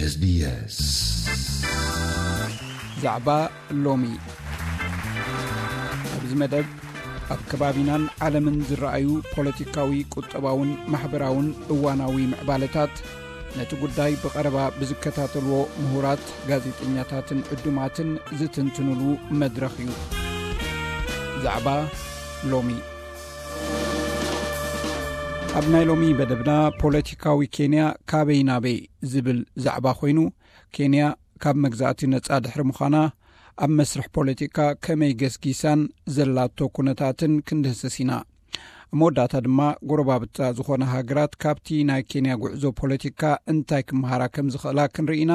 SBS። ዛዕባ ሎሚ። ኣብዚ መደብ ኣብ ከባቢናን ዓለምን ዝረኣዩ ፖለቲካዊ፣ ቁጠባውን ማሕበራውን እዋናዊ ምዕባለታት፣ ነቲ ጉዳይ ብቐረባ ብዝከታተልዎ ምሁራት፣ ጋዜጠኛታትን ዕዱማትን ዝትንትኑሉ መድረኽ እዩ። ዛዕባ ሎሚ። ኣብ ናይ ሎሚ መደብና፣ ፖለቲካዊ ኬንያ ካበይ ናበይ ዝብል ዛዕባ ኮይኑ፣ ኬንያ ካብ መግዛእቲ ነጻ ድሕሪ ምዃና፣ ኣብ መስርሕ ፖለቲካ ከመይ ገስጊሳን ዘላቶ ኩነታትን ክንድህስስ ኢና። ኣብ መወዳእታ ድማ፣ ጎረባብታ ዝኾና ሃገራት ካብቲ ናይ ኬንያ ጉዕዞ ፖለቲካ እንታይ ክመሃራ ከም ዝኽእላ ክንርኢ ኢና።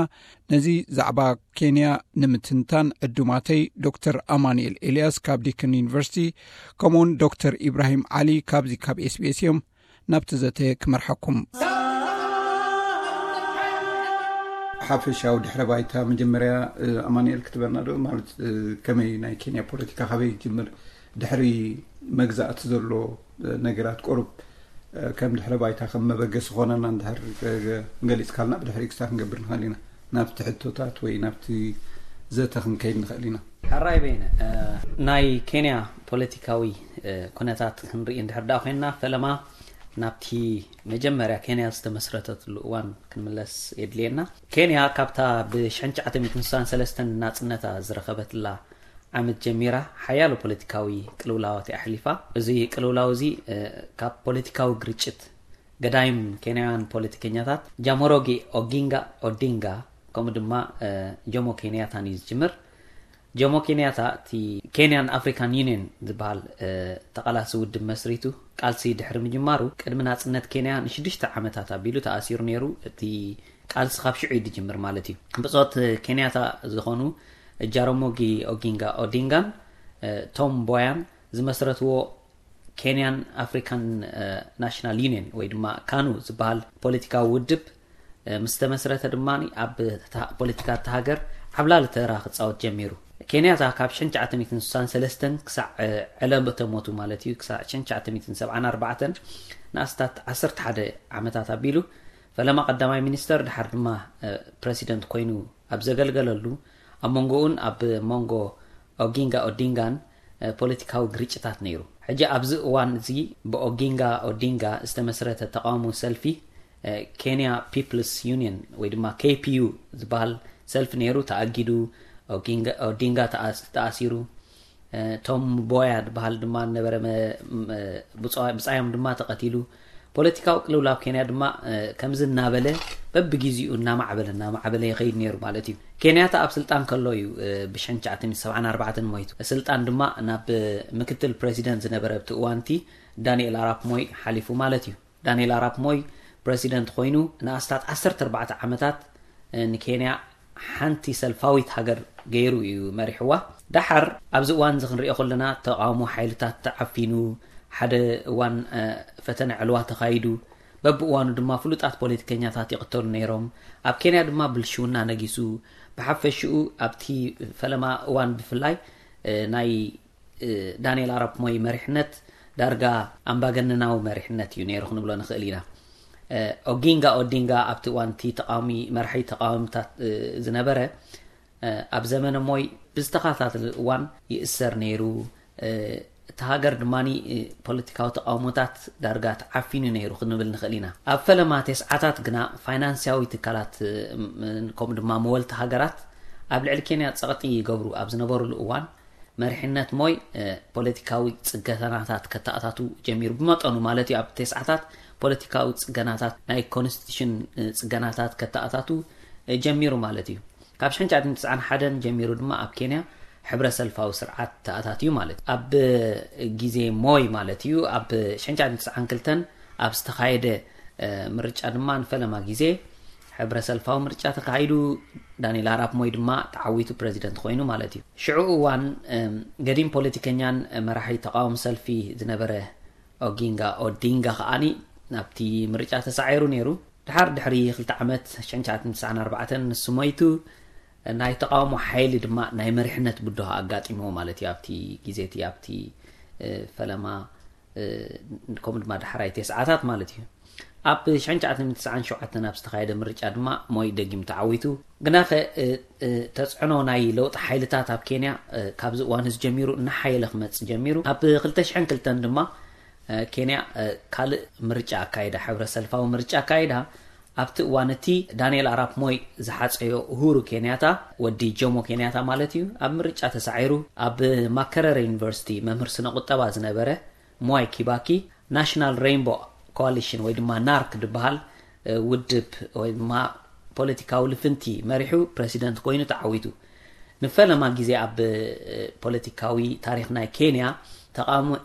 ነዚ ዛዕባ ኬንያ ንምትንታን፣ ዕዱማተይ ዶክተር ኣማኑኤል ኤልያስ ካብ ዲክን ዩኒቨርሲቲ፣ ከምኡውን ዶክተር ኢብራሂም ዓሊ ካብዚ ካብ ኤስቢኤስ እዮም። ናብቲ ዘተ ክመርሓኩም። ሓፈሻዊ ድሕረ ባይታ መጀመርያ፣ እ፣ ኣማኑኤል ክትበና ዶ? ማለት፣ እ፣ ከመይ ናይ ኬንያ ፖለቲካ ካበይ ይጅምር? ድሕሪ መግዛእቲ ዘሎ፣ እ፣ ነገራት ቁሩብ፣ እ፣ ከም ድሕረ ባይታ ከም መበገሲ ኾነና እንድሕር፣ እ፣ ገሊጽካልና ብድሕሪ ክስታ ክንገብር ንኽእል ኢና። ናብቲ ሕቶታት ወይ ናብቲ ዘተ ክንከይድ ንኽእል ኢና። ሕራይ በይነ፣ እ፣ ናይ ኬንያ ፖለቲካዊ፣ እ፣ ኩነታት ክንርኢ እንድሕር ደኣ ኮይንና፣ ፈለማ ናብቲ መጀመርያ ኬንያ ዝተመስረተትሉ እዋን ክንምለስ የድልየና። ኬንያ ካብታ ብ ሽሕን ትሽዓተ ሚእትን ስሳን ሰለስተን ናጽነታ ዝረኸበትላ ዓመት ጀሚራ ሓያሎ ፖለቲካዊ ቅልውላዋት እያ ኣሕሊፋ። እዚ ቅልውላው እዚ፣ እ፣ ካብ ፖለቲካዊ ግርጭት ገዳይም ኬንያውያን ፖለቲከኛታት ጃሞሮጊ ኦጊንጋ ኦዲንጋ ከምኡ ድማ፣ እ፣ ጆሞ ኬንያታን እዩ ዝጅምር። ጆሞ ኬንያታ እቲ ኬንያን ኣፍሪካን ዩኒየን ዝበሃል፣ እ፣ ተቓላሲ ውድብ መስሪቱ ቃልሲ ድሕሪ ምጅማሩ፣ ቅድሚ ናጽነት ኬንያ ንሽዱሽተ ዓመታት ኣቢሉ ተኣሲሩ ነይሩ። እቲ ቃልሲ ካብ ሽዑ እዩ ዝጅምር ማለት እዩ። ብጾት ኬንያታ ዝኾኑ ጃራሞጊ ኦጊንጋ ኦዲንጋን፣ እ፣ ቶም ቦያን ዝመስረትዎ ኬንያን ኣፍሪካን፣ እ፣ ናሽናል ዩኒየን ወይ ድማ ካኑ ዝበሃል ፖለቲካዊ ውድብ፣ እ፣ ምስ ተመስረተ ድማ ኣብ እታ ፖለቲካ እታ ሃገር ዓብላሊ ተራ ክጻወት ጀሚሩ። ኬንያታ ካብ ሽሕን ትሽዓተ ሚእትን ስሳን ሰለስተን ክሳዕ፣ እ፣ ዕለተ ሞቱ ማለት እዩ፣ ክሳዕ ሽሕን ትሽዓተ ሚእትን ሰብዓን ኣርባዕተን ንኣስታት ዓሰርተ ሓደ ዓመታት ኣቢሉ ፈለማ ቀዳማይ ሚኒስተር፣ ድሓር ድማ፣ እ፣ ፕረሲደንት ኮይኑ ኣብ ዘገልገለሉ፣ ኣብ መንጎኡን ኣብ መንጎ ኦጊንጋ ኦዲንጋን፣ እ፣ ፖለቲካዊ ግርጭታት ነይሩ። ሕጂ ኣብዚ እዋን እዚ ብኦጊንጋ ኦዲንጋ ዝተመስረተ ተቃውሞ ሰልፊ፣ እ፣ ኬንያ ፒፕልስ ዩኒየን ወይ ድማ ኬ ፒ ዩ ዝበሃል ሰልፊ ነይሩ፣ ተኣጊዱ። ኦጊንጋ፣ ኦዲንጋ ተኣስ-፣ ተኣሲሩ። እ፣ ቶም ቦያ ዝበሃል ድማ ነበረ መ-፣ መ-፣ ብጻ-፣ ብጻዮም ድማ ተቐቲሉ። ፖለቲካዊ ቅልውላው ኬንያ ድማ፣ እ፣ ከምዚ እናበለ በብግዜኡ እናማዕበለ፣ እናማዕበለ ይኸይድ ነይሩ ማለት እዩ። ኬንያታ ኣብ ስልጣን ከሎ እዩ፣ እ፣ ብሽሕን ትሽዓተ ሚእትን ሰብዓን ኣርባዕተን ሞይቱ። ስልጣን ድማ ናብ ምክትል ፕረሲደንት ዝነበረ ኣብቲ እዋንቲ ዳንኤል ኣራፕ ሞይ ሓሊፉ ማለት እዩ። ዳንኤል ኣራፕ ሞይ ፕረሲደንት ኮይኑ ንኣስታት ዓሰርተ ኣርባዕተ ዓመታት፣ እ፣ ንኬንያ ሓንቲ ሰልፋዊት ሃገር ገይሩ እዩ መሪሕዋ። ደሓር ኣብዚ እዋን እዚ ክንሪኦ ከለና ተቃውሞ ሓይልታት ተዓፊኑ፣ ሓደ እዋን፣ እ፣ ፈተነ ዕልዋ ተኻይዱ። በብእዋኑ ድማ ፍሉጣት ፖለቲከኛታት ይቕተሉ ነይሮም። ኣብ ኬንያ ድማ ብልሽውና ነጊሱ። ብሓፈሽኡ ኣብቲ ፈለማ እዋን ብፍላይ፣ እ፣ ናይ፣ እ፣ ዳንኤል ኣራፕ ሞይ መሪሕነት ዳርጋ ኣምባገነናዊ መሪሕነት እዩ ነይሩ ክንብሎ ንኽእል ኢና። እ፣ ኦጊንጋ ኦዲንጋ ኣብቲ እዋን እቲ ተቃዋሚ፣ መራሒ ተቃዋሚታት፣ እ፣ ዝነበረ፣ እ፣ ኣብ ዘመነ ሞይ ብዝተኸታተለ እዋን ይእሰር ነይሩ። እ፣ እቲ ሃገር ድማ፣ እ፣ ፖለቲካዊ ተቃውሞታት ዳርጋ ተዓፊኑ ነይሩ ክንብል ንኽእል ኢና። ኣብ ፈለማ ተስዓታት ግና ፋይናንስያዊ ትካላት፣ እ፣ ም-፣ ከምኡ ድማ መወልቲ ሃገራት ኣብ ልዕሊ ኬንያ ጸቕጢ ይገብሩ ኣብ ዝነበሩሉ እዋን መሪሕነት ሞይ፣ እ፣ ፖለቲካዊ ጽገናታት ከተኣታቱ ጀሚሩ። ብመጠኑ ማለት እዩ፣ ኣብ ተስዓታት ፖለቲካዊ ጽገናታት፣ ናይ ኮንስቲቱሽን፣ እ፣ ጽገናታት ከተኣታቱ፣ እ፣ ጀሚሩ ማለት እዩ። ካብ ሽሕን ትሽዓተ ሚእትን ተስዓን ሓደን ጀሚሩ ድማ ኣብ ኬንያ ሕብረ ሰልፋዊ ስርዓት ተኣታትዩ ማለት እዩ። ኣብ ግዜ ሞይ ማለት እዩ፣ ኣብ ሽሕን ትሽዓተ ሚእትን ተስዓን ክልተን ኣብ ዝተኻየደ፣ እ፣ ምርጫ ድማ ንፈለማ ግዜ ሕብረ ሰልፋዊ ምርጫ ተካሂዱ። ዳንኤል ኣራፕ ሞይ ድማ ተዓዊቱ ፕረዚደንት ኮይኑ ማለት እዩ። ሽዑ እዋን፣ እም፣ ገዲም ፖለቲከኛን መራሒ ተቃውሞ ሰልፊ ዝነበረ ኦጊንጋ ኦዲንጋ ከዓኒ ናብቲ ምርጫ ተሳዒሩ ነይሩ። ድሓር ድሕሪ ክልተ ዓመት፣ ሽሕን ትሽዓተ ሚእትን ተስዓን ኣርባዕተን፣ ንሱ ሞይቱ፣ ናይ ተቃውሞ ሓይሊ ድማ ናይ መሪሕነት ብድሆ ኣጋጢምዎ ማለት እዩ። ኣብቲ ግዜ እቲ፣ ኣብቲ፣ እ፣ ፈለማ፣ እ፣ ከምኡ ድማ ዳሕራይ ተስዓታት ማለት እዩ። ኣብ ሽሕን ትሽዓተ ሚእትን ተስዓን ሸውዓተን ኣብ ዝተኻየደ ምርጫ ድማ ሞይ ደጊም ተዓዊቱ። ግናኸ ተፅዕኖ ናይ ለውጢ ሓይልታት ኣብ ኬንያ ካብዚ እዋን እዚ ጀሚሩ እናሓየለ ክመፅእ ጀሚሩ። ኣብ ክልተ ሽሕን ክልተን ድማ ኬንያ ካልእ ምርጫ ኣካይዳ፣ ሕብረ ሰልፋዊ ምርጫ ኣካይዳ። ኣብቲ እዋን እቲ ዳንኤል ኣራፕ ሞይ ዝሓፀዮ ኡሁሩ ኬንያታ፣ ወዲ ጆሞ ኬንያታ ማለት እዩ፣ ኣብ ምርጫ ተሳዒሩ። ኣብ ማከረረ ዩኒቨርሲቲ መምህር ስነ ቁጠባ ዝነበረ ሞይ ኪባኪ፣ ናሽናል ሬንቦ ኮሊሽን ወይ ድማ ናርክ ዝበሃል ውድብ ወይ ድማ ፖለቲካዊ ልፍንቲ መሪሑ ፕረሲደንት ኮይኑ ተዓዊቱ። ንፈለማ ግዜ ኣብ ፖለቲካዊ ታሪኽ ናይ ኬንያ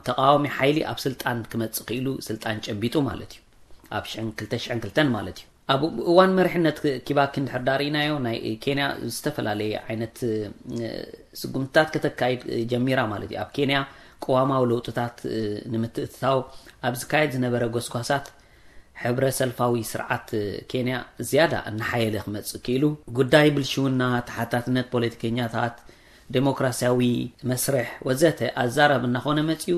ተቃዋሚ ሓይሊ ኣብ ስልጣን ክመፅእ ክኢሉ፣ ስልጣን ጨቢጡ ማለት እዩ። ኣብ ክልተ ሽሕን ክልተን ማለት እዩ። ኣብ እዋን መሪሕነት ኪባኪ እንድሕር ዳርኢናዮ፣ ናይ ኬንያ ዝተፈላለየ ዓይነት ስጉምትታት ከተካይድ ጀሚራ ማለት እዩ። ኣብ ኬንያ ቅዋማዊ ለውጥታት ንምትእትታው ኣብ ዝካየድ ዝነበረ ጎስጓሳት፣ ሕብረ ሰልፋዊ ስርዓት ኬንያ ዝያዳ እናሓየለ ክመፅእ ክኢሉ። ጉዳይ ብልሽውና፣ ተሓታትነት ፖለቲከኛታት፣ ዴሞክራሲያዊ መስርሕ ወዘተ ኣዛራቢ እናኾነ መፂኡ።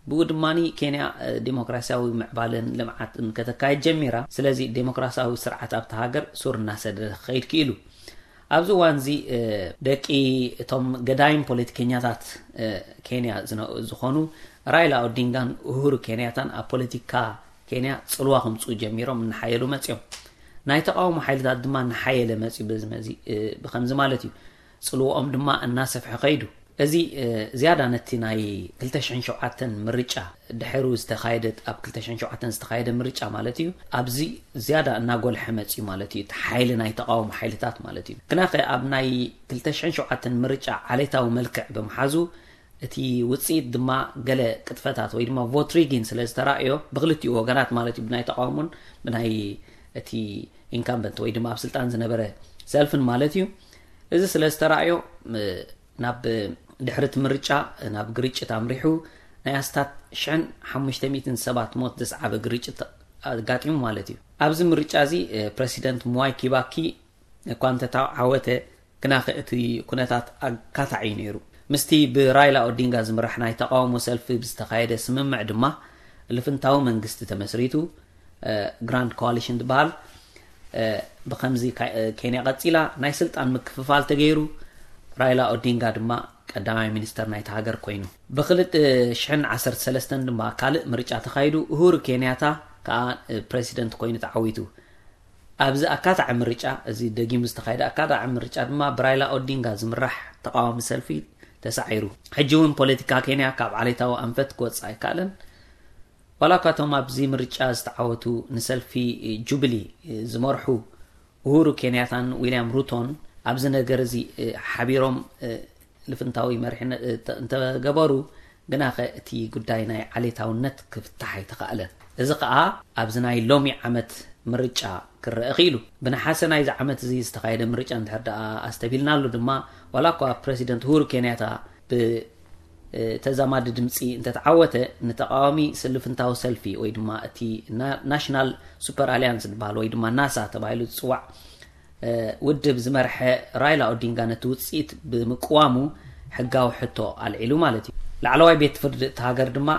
ብኡ ድማ ኬንያ ዴሞክራሲያዊ ምዕባለን ልምዓትን ከተካየድ ጀሚራ። ስለዚ ዴሞክራሲያዊ ስርዓት ኣብቲ ሃገር ሱር እናሰደደ ክኸይድ ክኢሉ። ኣብዚ እዋን እዚ ደቂ እቶም ገዳይም ፖለቲከኛታት ኬንያ ዝኾኑ ራይላ ኦዲንጋን ኡሁሩ ኬንያታን ኣብ ፖለቲካ ኬንያ ፅልዋ ከምፅኡ ጀሚሮም፣ እናሓየሉ መፅዮም። ናይ ተቃውሞ ሓይልታት ድማ እናሓየለ መፅዩ። በዚ መዚ ብከምዚ ማለት እዩ፣ ፅልዋኦም ድማ እናሰፍሐ ከይዱ። እዚ ዝያዳ ነቲ ናይ ክልተ ሽሕን ሸውዓተን ምርጫ ድሕሩ ዝተኻየደ፣ ኣብ ክልተ ሽሕን ሸውዓተን ዝተኻየደ ምርጫ ማለት እዩ፣ ኣብዚ ዝያዳ እናጎልሐ መፅዩ ማለት እዩ፣ እቲ ሓይሊ ናይ ተቃውሞ ሓይልታት ማለት እዩ። ግናኸ ኣብ ናይ ክልተ ሽሕን ሸውዓተን ምርጫ ዓሌታዊ መልክዕ ብምሓዙ፣ እቲ ውፅኢት ድማ ገለ ቅጥፈታት ወይ ድማ ቮት ሪጊን ስለ ዝተራእዮ ብክልቲኡ ወገናት ማለት እዩ፣ ብናይ ተቃውሞን ብናይ እቲ ኢንካምበንት ወይ ድማ ኣብ ስልጣን ዝነበረ ሰልፍን ማለት እዩ። እዚ ስለ ዝተራእዮ ናብ ድሕሪ እቲ ምርጫ ናብ ግርጭት ኣምሪሑ፣ ናይ ኣስታት ሽሕን ሓሙሽተ ሚእትን ሰባት ሞት ዘስዓበ ግርጭት ኣጋጢሙ ማለት እዩ። ኣብዚ ምርጫ እዚ ፕረሲደንት ምዋይ ኪባኪ እኳ እንተተዓወተ፣ ግናኸ እቲ ኩነታት ኣካታዒ እዩ ነይሩ። ምስቲ ብራይላ ኦዲንጋ ዝምራሕ ናይ ተቃውሞ ሰልፊ ብዝተኻየደ ስምምዕ ድማ ልፍንታዊ መንግስቲ ተመስሪቱ። ግራንድ ኮዋሊሽን ዝበሃል። ብከምዚ ኬንያ ቀፂላ፣ ናይ ስልጣን ምክፍፋል ተገይሩ። ራይላ ኦዲንጋ ድማ ቀዳማይ ሚኒስተር ናይቲ ሃገር ኮይኑ። ብክልተ ሽሕን ዓሰርተ ሰለስተን ድማ ካልእ ምርጫ ተኻይዱ። ኡሁሩ ኬንያታ ከዓ ፕረሲደንት ኮይኑ ተዓዊቱ። ኣብዚ ኣካታዒ ምርጫ፣ እዚ ደጊሙ ዝተኻየደ ኣካታዒ ምርጫ ድማ ብራይላ ኦዲንጋ ዝምራሕ ተቃዋሚ ሰልፊ ተሳዒሩ። ሕጂ እውን ፖለቲካ ኬንያ ካብ ዓሌታዊ ኣንፈት ክወፅእ ኣይከኣለን። ዋላ እኳ እቶም ኣብዚ ምርጫ ዝተዓወቱ ንሰልፊ ጁብሊ ዝመርሑ ኡሁሩ ኬንያታን ዊልያም ሩቶን ኣብዚ ነገር እዚ ሓቢሮም ልፍንታዊ መሪሕነት እንተገበሩ፣ ግናኸ እቲ ጉዳይ ናይ ዓሌታውነት ክፍታሕ ኣይተኻእለን። እዚ ኸኣ ኣብዚ ናይ ሎሚ ዓመት ምርጫ ክረአ ክኢሉ። ብነሓሰ ናይዚ ዓመት እዚ ዝተኻየደ ምርጫ እንድሕር ደኣ ኣስተቢልናሉ ድማ፣ ዋላ እኳ ፕረሲደንት ኡሁሩ ኬንያታ ብተዛማዲ ድምፂ እንተተዓወተ፣ ንተቃዋሚ ስልፍንታዊ ሰልፊ ወይ ድማ እቲ ናሽናል ሱፐር ኣሊያንስ ዝበሃል ወይ ድማ ናሳ ተባሂሉ ዝፅዋዕ ውድብ ዝመርሐ ራይላ ኦዲንጋ ነቲ ውፅኢት ብምቅዋሙ ሕጋዊ ሕቶ ኣልዒሉ ማለት እዩ። ላዕለዋይ ቤት ፍርዲ እቲ ሃገር ድማ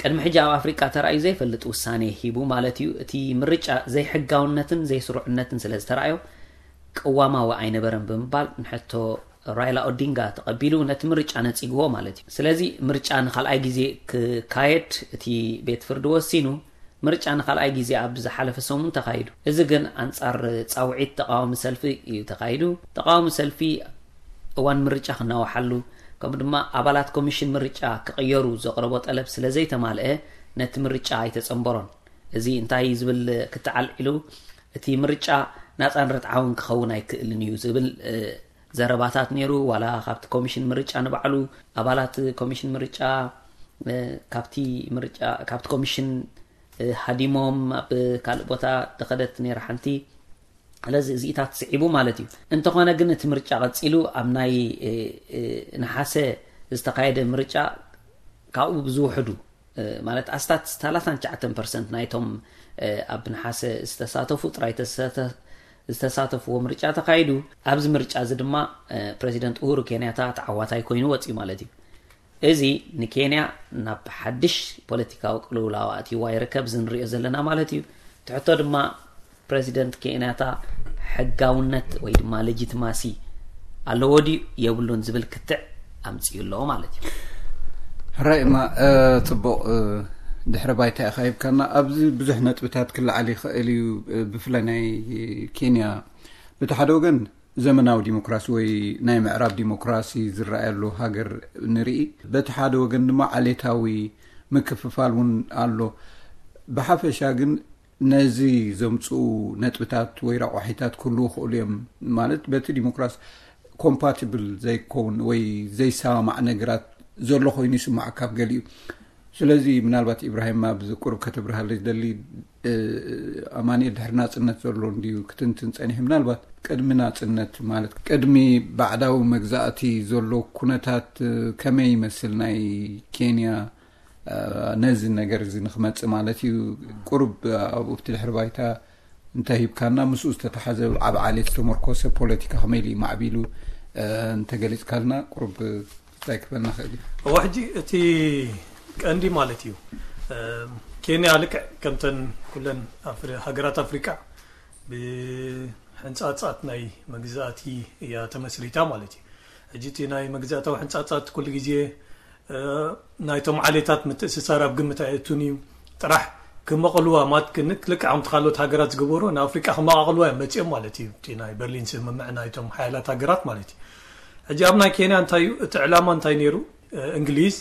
ቅድሚ ሕጂ ኣብ ኣፍሪቃ ተራእዩ ዘይፈልጥ ውሳኔ ሂቡ ማለት እዩ። እቲ ምርጫ ዘይሕጋውነትን ዘይስሩዕነትን ስለ ዝተራእዮ ቅዋማዊ ኣይነበረን ብምባል ንሕቶ ራይላ ኦዲንጋ ተቐቢሉ ነቲ ምርጫ ነጺግዎ ማለት እዩ። ስለዚ ምርጫ ንኻልኣይ ግዜ ክካየድ እቲ ቤት ፍርዲ ወሲኑ። ምርጫ ንኻልኣይ ግዜ ኣብ ዝሓለፈ ሰሙን ተኻይዱ። እዚ ግን ኣንጻር ጻውዒት ተቃዋሚ ሰልፊ እዩ ተኻይዱ። ተቃዋሚ ሰልፊ እዋን ምርጫ ክናዋሓሉ፣ ከምኡ ድማ ኣባላት ኮሚሽን ምርጫ ክቕየሩ ዘቕረቦ ጠለብ ስለ ዘይተማልአ ነቲ ምርጫ ኣይተጸንበሮን። እዚ እንታይ ዝብል ክትዓል ኢሉ፣ እቲ ምርጫ ናጻን ርትዓውን ክኸውን ኣይክእልን እዩ ዝብል ዘረባታት ነይሩ። ዋላ ካብቲ ኮሚሽን ምርጫ ንባዕሉ፣ ኣባላት ኮሚሽን ምርጫ ካብቲ ምርጫ ካብቲ ኮሚሽን ሃዲሞም ኣብ ካልእ ቦታ ተኸደት ነይራ ሓንቲ። ስለዚ እዚኢታት ስዒቡ ማለት እዩ። እንተኾነ ግን እቲ ምርጫ ቀጺሉ ኣብ ናይ ነሓሰ ዝተኻየደ ምርጫ ካብኡ ብዝውሕዱ ማለት ኣስታት ሰላሳን ትሽዓተን ፐርሰንት ናይቶም ኣብ ነሓሰ ዝተሳተፉ ጥራይ ዝተሳተፍዎ ምርጫ ተኻይዱ። ኣብዚ ምርጫ እዚ ድማ ፕረዚደንት ኡሁሩ ኬንያታ ተዓዋታይ ኮይኑ ወፅዩ ማለት እዩ። እዚ ንኬንያ ናብ ሓድሽ ፖለቲካዊ ቅልውላው ኣእትይዋ ይርከብ፣ እዚ ንሪኦ ዘለና ማለት እዩ። ትሕቶ ድማ ፕረዚደንት ኬንያታ ሕጋውነት ወይ ድማ ሌጂትማሲ ኣለዎ ድዩ የብሉን ዝብል ክትዕ ኣምፅኡ ኣለዎ ማለት እዩ። ሕራይ እማ ጽቡቕ ድሕረ ባይታ ኢኻ ሂብካና። ኣብዚ ብዙሕ ነጥብታት ክለዓል ይኽእል እዩ። ብፍላይ ናይ ኬንያ በቲ ሓደ ወገን ዘመናዊ ዲሞክራሲ ወይ ናይ ምዕራብ ዲሞክራሲ ዝረኣየሉ ሃገር ንርኢ፣ በቲ ሓደ ወገን ድማ ዓሌታዊ ምክፍፋል እውን ኣሎ። ብሓፈሻ ግን ነዚ ዘምፅኡ ነጥብታት ወይ ረቋሒታት ክህልዉ ይኽእሉ እዮም። ማለት በቲ ዲሞክራሲ ኮምፓቲብል ዘይከውን ወይ ዘይሰማማዕ ነገራት ዘሎ ኮይኑ ይስማዕ ካብ ገሊኡ። ስለዚ ምናልባት ኢብራሂም ኣብዚ ቁሩብ ከተብርሃለይ ዝደሊ፣ ኣማኒኤል ድሕሪ ናፅነት ዘሎ እንድዩ ክትንትን ፀኒሑ። ምናልባት ቅድሚ ናፅነት ማለት ቅድሚ ባዕዳዊ መግዛእቲ ዘሎ ኩነታት ከመይ ይመስል ናይ ኬንያ? ነዚ ነገር እዚ ንክመፅእ ማለት እዩ። ቁሩብ ኣብኡ ኣብቲ ድሕሪ ባይታ እንተሂብካና፣ ምስኡ ዝተተሓዘ ኣብ ዓሌት ዝተመርኮሰ ፖለቲካ ከመይ ኢሉ እዩ ማዕቢሉ እንተገሊፅካልና ቁሩብ እንታይ ክበና ክእል እዩ። እዋ ሕጂ እቲ ቀንዲ ማለት እዩ፣ ኬንያ ልክዕ ከምተን ኩለን ሃገራት ኣፍሪቃ ብሕንፃፃት ናይ መግዛእቲ እያ ተመስሪታ ማለት እዩ። ሕጂ እቲ ናይ መግዛእታዊ ሕንፃፃት ኩሉ ግዜ ናይቶም ዓሌታት ምትእስሳር ኣብ ግምት ኣየእቱን እዩ። ጥራሕ ክመቐልዋ ማት ክንክ ልክዕ ከምቲ ካልኦት ሃገራት ዝገበሮ ንኣፍሪቃ ክመቓቕልዋ እዮም መፂኦም ማለት እዩ። እቲ ናይ በርሊን ስምምዕ ናይቶም ሓያላት ሃገራት ማለት እዩ። ሕጂ ኣብ ናይ ኬንያ እንታይ እዩ እቲ ዕላማ እንታይ ነይሩ? እንግሊዝ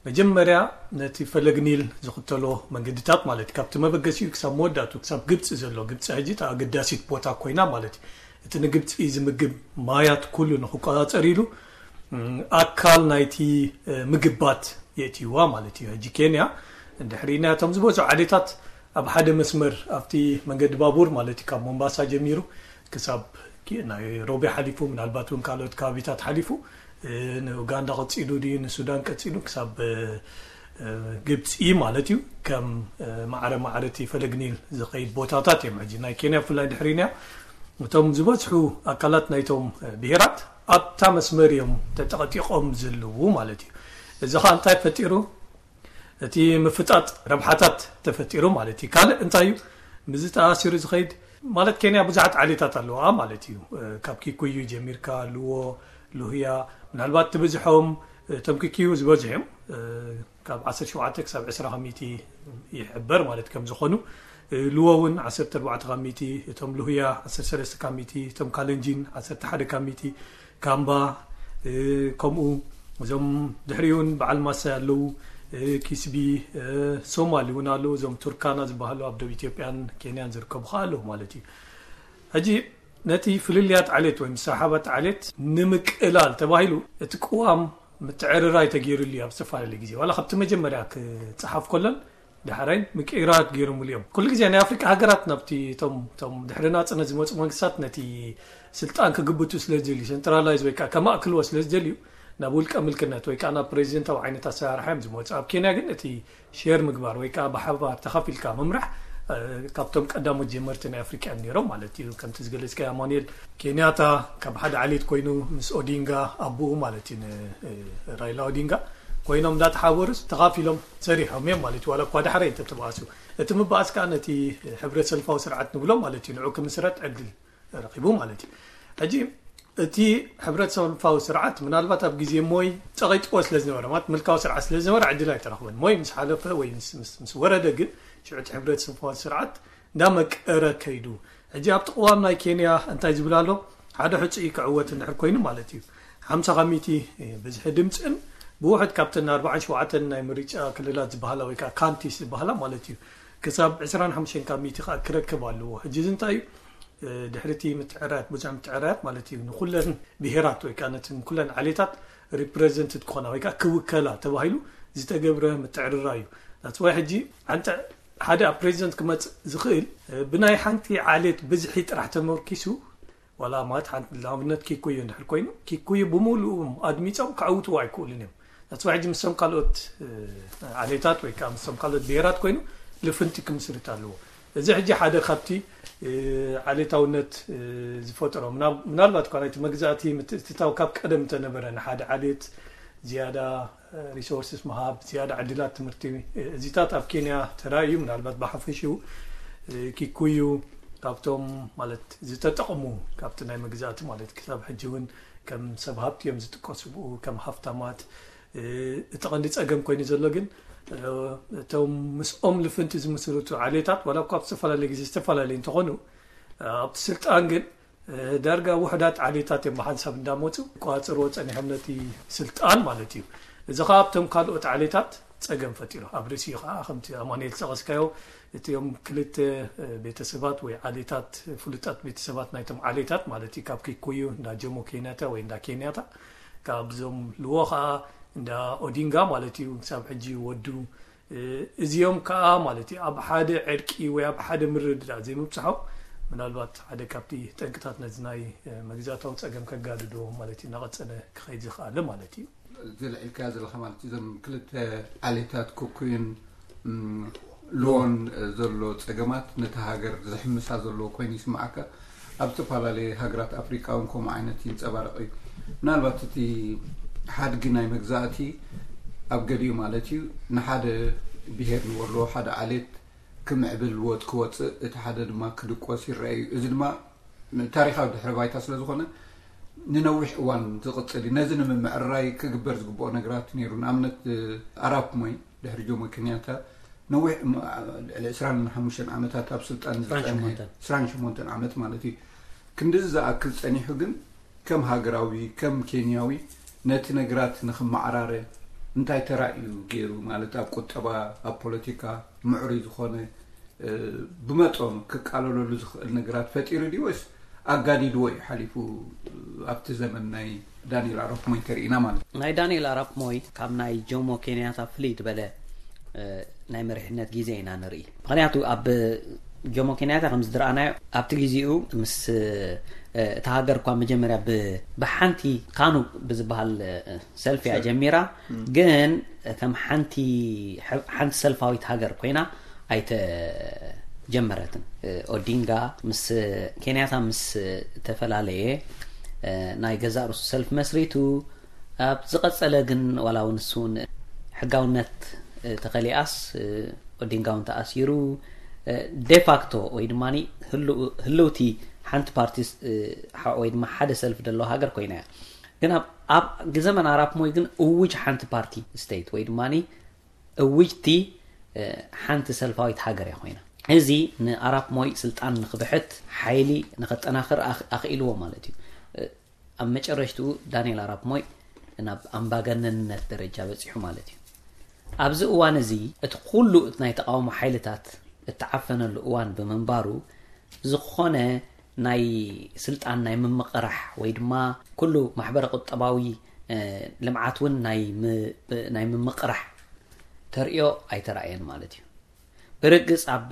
መጀመርያ ነቲ ፈለግ ኒል ዝኽተሎ መንገድታት ማለት እዩ፣ ካብቲ መበገሲኡ ክሳብ መወዳእቱ ክሳብ ግብፂ ዘሎ፣ ግብፂ ሕጂ እታ ኣገዳሲት ቦታ ኮይና ማለት እዩ። እቲ ንግብፂ ዝምግብ ማያት ኩሉ ንክቆፃፀር ኢሉ ኣካል ናይቲ ምግባት የእትይዋ ማለት እዩ። ሕጂ ኬንያ እንድሕር ኢልና እቶም ዝበዝሑ ዓሌታት ኣብ ሓደ መስመር ኣብቲ መንገዲ ባቡር ማለት እዩ፣ ካብ ሞምባሳ ጀሚሩ ክሳብ ናይሮቢ ሓሊፉ፣ ምናልባት እውን ካልኦት ከባቢታት ሓሊፉ ንኡጋንዳ ቀፂሉ ድዩ ንሱዳን ቀፂሉ ክሳብ ግብፂ ማለት እዩ። ከም ማዕረ ማዕረ እቲ ፈለግ ኒል ዝኸይድ ቦታታት እዮም። ሕጂ ናይ ኬንያ ብፍላይ ድሕሪና እቶም ዝበዝሑ ኣካላት ናይቶም ብሄራት ኣብታ መስመር እዮም ተጠቐጢቖም ዘለዉ ማለት እዩ። እዚ ከዓ እንታይ ፈጢሩ? እቲ ምፍጣጥ ረብሓታት ተፈጢሩ ማለት እዩ። ካልእ እንታይ እዩ? ምስዚ ተኣሲሩ ዝኸይድ ማለት ኬንያ ብዙሓት ዓሌታት ኣለዋ ማለት እዩ። ካብ ኪኩዩ ጀሚርካ፣ ልዎ፣ ሉህያ፣ ምናልባት ትብዝሖም እቶም ኪኩዩ ዝበዝሑ እዮም። ካብ ዓሰርተ ሸውዓተ ክሳብ ዕስራ ካብ ሚእቲ ይሕበር ማለት ከም ዝኾኑ፣ ልዎ እውን ዓሰርተ ኣርባዕተ ካብ ሚእቲ፣ እቶም ሉህያ ዓሰርተ ሰለስተ ካብ ሚእቲ፣ እቶም ካለንጂን ዓሰርተ ሓደ ካብ ሚእቲ፣ ካምባ፣ ከምኡ እዞም ድሕሪኡ እውን በዓል ማሳይ ኣለዉ፣ ኪስቢ፣ ሶማሊ እውን ኣለዉ፣ እዞም ቱርካና ዝበሃሉ ኣብ ደቡብ ኢትዮጵያን ኬንያን ዝርከቡ ከዓ ኣለዉ ማለት እዩ። ሕጂ ነቲ ፍልልያት ዓሌት ወይ ምስሕሓባት ዓሌት ንምቅላል ተባሂሉ እቲ ቅዋም ምትዕርራይ ተገይሩሉ እዩ ኣብ ዝተፈላለየ ግዜ፣ ዋላ ካብቲ መጀመርያ ክፀሓፍ ከሎን ዳሕራይን ምቅይራት ገይሮምሉ እዮም። ኩሉ ግዜ ናይ ኣፍሪቃ ሃገራት ናብቲ እቶም እቶም ድሕሪ ናፅነት ዝመፁ መንግስታት ነቲ ስልጣን ክግብቱ ስለ ዝደልዩ፣ ሴንትራላይዝ ወይ ከዓ ከማእክልዎ ስለ ዝደልዩ ናብ ውልቀ ምልክነት ወይ ከዓ ናብ ፕሬዚደንታዊ ዓይነት ኣሰራርሓ እዮም ዝመፁ። ኣብ ኬንያ ግን እቲ ሼር ምግባር ወይ ከዓ ብሓባር ተኻፊልካ ምምራሕ ካብቶም ቀዳሞት ጀመርቲ ናይ ኣፍሪቃ እዮም ነይሮም ማለት እዩ። ከምቲ ዝገለፅካ ኣማኑኤል ኬንያታ ካብ ሓደ ዓሌት ኮይኑ ምስ ኦዲንጋ ኣቦኡ ማለት እዩ ራይላ ኦዲንጋ ኮይኖም እንዳተሓበሩስ ተኻፊሎም ሰሪሖም እዮም ማለት እዩ። ዋላ እኳ ዳሕራይ እንተተባእሱ፣ እቲ ምባእስ ከዓ ነቲ ሕብረት ሰልፋዊ ስርዓት ንብሎ ማለት እዩ ንዑ ክምስረት ዕድል ረኺቡ ማለት እዩ። ሕጂ እቲ ሕብረት ሰልፋዊ ስርዓት ምናልባት ኣብ ግዜ ሞይ ጸቒጥዎ ስለ ዝነበረ ማለት ምልካዊ ስርዓት ስለ ዝነበረ ዕድል ኣይተረኽበን። ሞይ ምስ ሓለፈ ወይ ምስ ወረደ ግን ሽዑ እቲ ሕብረት ሰልፋዊ ስርዓት እንዳመቀረ ከይዱ። ሕጂ ኣብቲ ቅዋም ናይ ኬንያ እንታይ ዝብል ኣሎ? ሓደ ሕፁይ ክዕወት እንድሕር ኮይኑ ማለት እዩ ሓምሳ ካብ ሚእቲ ብዝሒ ድምፅን ብውሕድ ካብተን ኣርባዓን ሸውዓተን ናይ ምርጫ ክልላት ዝበሃላ ወይ ከዓ ካንቲስ ዝበሃላ ማለት እዩ ክሳብ ዕስራን ሓሙሽተን ካብ ሚእቲ ከዓ ክረክብ ኣለዎ። ሕጂ እዚ እንታይ እዩ? ድሕሪ እቲ ምትዕርራያት ብዙሕ ምትዕርራያት ማለት እዩ ንኩለን ብሄራት ወይ ከዓ ነትን ኩለን ዓሌታት ሪፕሬዘንትድ ክኾና ወይ ከዓ ክውከላ ተባሂሉ ዝተገብረ ምትዕርራይ እዩ። ናትስ ዋይ ሕጂ ዓንተ ሓደ ኣብ ፕሬዚደንት ክመፅእ ዝኽእል ብናይ ሓንቲ ዓሌት ብዝሒ ጥራሕ ተመርኪሱ ዋላ ማለት ሓንቲ ንኣብነት ኪኩዩ እንድሕር ኮይኑ ኪኩዩ ብምሉኡ ኣድሚፆም ከዕውትዎ ኣይክእሉን እዮም። ናትስ ዋይ ሕጂ ምስቶም ካልኦት ዓሌታት ወይ ከዓ ምስቶም ካልኦት ብሄራት ኮይኑ ልፍንቲ ክምስርት ኣለዎ። እዚ ሕጂ ሓደ ካብቲ ዓሌታውነት ዝፈጠሮ ምናልባት እኳ ናይቲ መግዛእቲ ምትእትታው ካብ ቀደም እንተነበረ ንሓደ ዓሌት ዝያዳ ሪሶርስስ ምሃብ ዝያዳ ዕድላት ትምህርቲ እዚታት ኣብ ኬንያ ተራእዩ ምናልባት ብሓፈሽኡ እ፣ ኪኩዩ ካብቶም ማለት ዝተጠቕሙ ካብቲ ናይ መግዛእቲ ማለት ክሳብ ሕጂ እውን ከም ሰብ ሃብቲ እዮም ዝጥቀሱ ብኡ ከም ሃፍታማት። እ፣ እቲ ቀንዲ ጸገም ኮይኑ ዘሎ ግን፣ እ፣ እቶም ምስኦም ልፍንቲ ዝምስርቱ ዓሌታት ዋላ እኳ ኣብ ዝተፈላለየ ግዜ ዝተፈላለየ እንተኾኑ፣ እ፣ ኣብቲ ስልጣን ግን እ፣ ዳርጋ ውሕዳት ዓሌታት እዮም ብሓንሳብ እንዳመፁ ቋፅርዎ ፀኒሖም ነቲ ስልጣን ማለት እዩ። እዚ ከዓ ኣብቶም ካልኦት ዓሌታት ፀገም ፈጢሩ ኣብ ርእሲኡ ከዓ ከምቲ ኣማኑኤል ዝጠቐስካዮ እቲኦም ክልተ እ፣ ቤተሰባት ወይ ዓሌታት ፍሉጣት ቤተሰባት ናይቶም ዓሌታት ማለት እዩ ካብ ኪኩዩ እንዳ ጆሞ ኬንያታ ወይ እንዳ ኬንያታ ካብዞም ልዎ ከዓ እንዳ ኦዲንጋ ማለት እዩ ክሳብ ሕጂ ወዱ እዚኦም ከኣ ማለት እዩ ኣብ ሓደ ዕርቂ ወይ ኣብ ሓደ ምርድዳእ ዘይምብጽሖም ምናልባት ሓደ ካብቲ ጠንቅታት ነዚ ናይ መግዛእታዊ ጸገም ከጋድዶ ማለት እዩ እናቐጸለ ክኸይድ ዝኽኣለ ማለት እዩ። እዚ ልዒልካዮ ዘለኻ ማለት እዩ እዞም ክልተ ዓሌታት ኩኩይን ሎን ዘሎ ጸገማት ነቲ ሃገር ዝሕምሳ ዘለዎ ኮይኑ ይስምዓካ። ኣብ ዝተፈላለየ ሃገራት ኣፍሪቃ እውን ከምኡ ዓይነት ይንጸባረቕ እዩ። ምናልባት እቲ ሓድጊ ናይ መግዛእቲ ኣብ ገሊኡ ማለት እዩ ንሓደ ብሄር ንበሎ ሓደ ዓሌት ክምዕብል ወጥ ክወፅእ እቲ ሓደ ድማ ክድቆስ ይረአ እዩ። እዚ ድማ ታሪኻዊ ድሕረ ባይታ ስለ ዝኾነ ንነዊሕ እዋን ዝቕፅል እዩ። ነዚ ንምምዕራይ ክግበር ዝግብኦ ነገራት ነይሩ። ንኣብነት ኣራፕ ሞይ ድሕሪ ጆሞ ኬንያታ ነዊሕ ልዕሊ ዕስራን ሓሙሽተን ዓመታት ኣብ ስልጣን ዝፀንሐ ዕስራን ሸሞንተን ዓመት ማለት እዩ። ክንድዚ ዝኣክል ፀኒሑ ግን ከም ሃገራዊ ከም ኬንያዊ ነቲ ነገራት ንክመዓራረ እንታይ ተራ እዩ ገይሩ ማለት ኣብ ቁጠባ ኣብ ፖለቲካ ምዕሩይ ዝኾነ ብመጠኑ ክቃለለሉ ዝኽእል ነገራት ፈጢሩ ድዩ ወይስ ኣጋዲድዎ እዩ ሓሊፉ? ኣብቲ ዘመን ናይ ዳንኤል ኣራፕ ሞይ እንተርኢና ማለት እዩ። ናይ ዳንኤል ኣራፕ ሞይ ካብ ናይ ጆሞ ኬንያታ ፍልይ ዝበለ ናይ መሪሕነት ግዜ ኢና ንርኢ። ምክንያቱ ኣብ ጆሞ ኬንያታ ከም ዝድረኣናዮ ኣብቲ ግዜኡ ምስ እታ ሃገር እኳ መጀመርያ ብሓንቲ ካኑ ብዝበሃል ሰልፊ እያ ጀሚራ። ግን ከም ሓንቲ ሓንቲ ሰልፋዊት ሃገር ኮይና ኣይተጀመረትን። ኦዲንጋ ምስ ኬንያታ ምስ ተፈላለየ ናይ ገዛእ ርእሱ ሰልፊ መስሪቱ ኣብ ዝቐጸለ ግን ዋላ እውን እሱ እውን ሕጋውነት ተኸሊኣስ ኦዲንጋ እውን ተኣሲሩ ዴፋክቶ ወይ ድማ ህልውቲ ሓንቲ ፓርቲ ወይ ድማ ሓደ ሰልፊ ዘለዎ ሃገር ኮይና እያ። ግን ኣብ ዘመን ኣራፕ ሞይ ግን እውጅ ሓንቲ ፓርቲ ስቴት ወይ ድማ እውጅቲ ሓንቲ ሰልፋዊት ሃገር እያ ኮይና። እዚ ንኣራፕ ሞይ ስልጣን ንክብሕት ሓይሊ ንከጠናኽር ኣኽኢልዎ ማለት እዩ። ኣብ መጨረሽትኡ ዳንኤል ኣራፕ ሞይ ናብ ኣምባገነንነት ደረጃ በፂሑ ማለት እዩ። ኣብዚ እዋን እዚ እቲ ኩሉ ናይ ተቃውሞ ሓይልታት እተዓፈነሉ እዋን ብምንባሩ ዝኾነ ናይ ስልጣን ናይ ምምቕራሕ ወይ ድማ ኩሉ ማሕበረ ቁጠባዊ ልምዓት እውን ናይ ምምቕራሕ ተርእዮ ኣይተራእየን ማለት እዩ። ብርግጽ ኣብ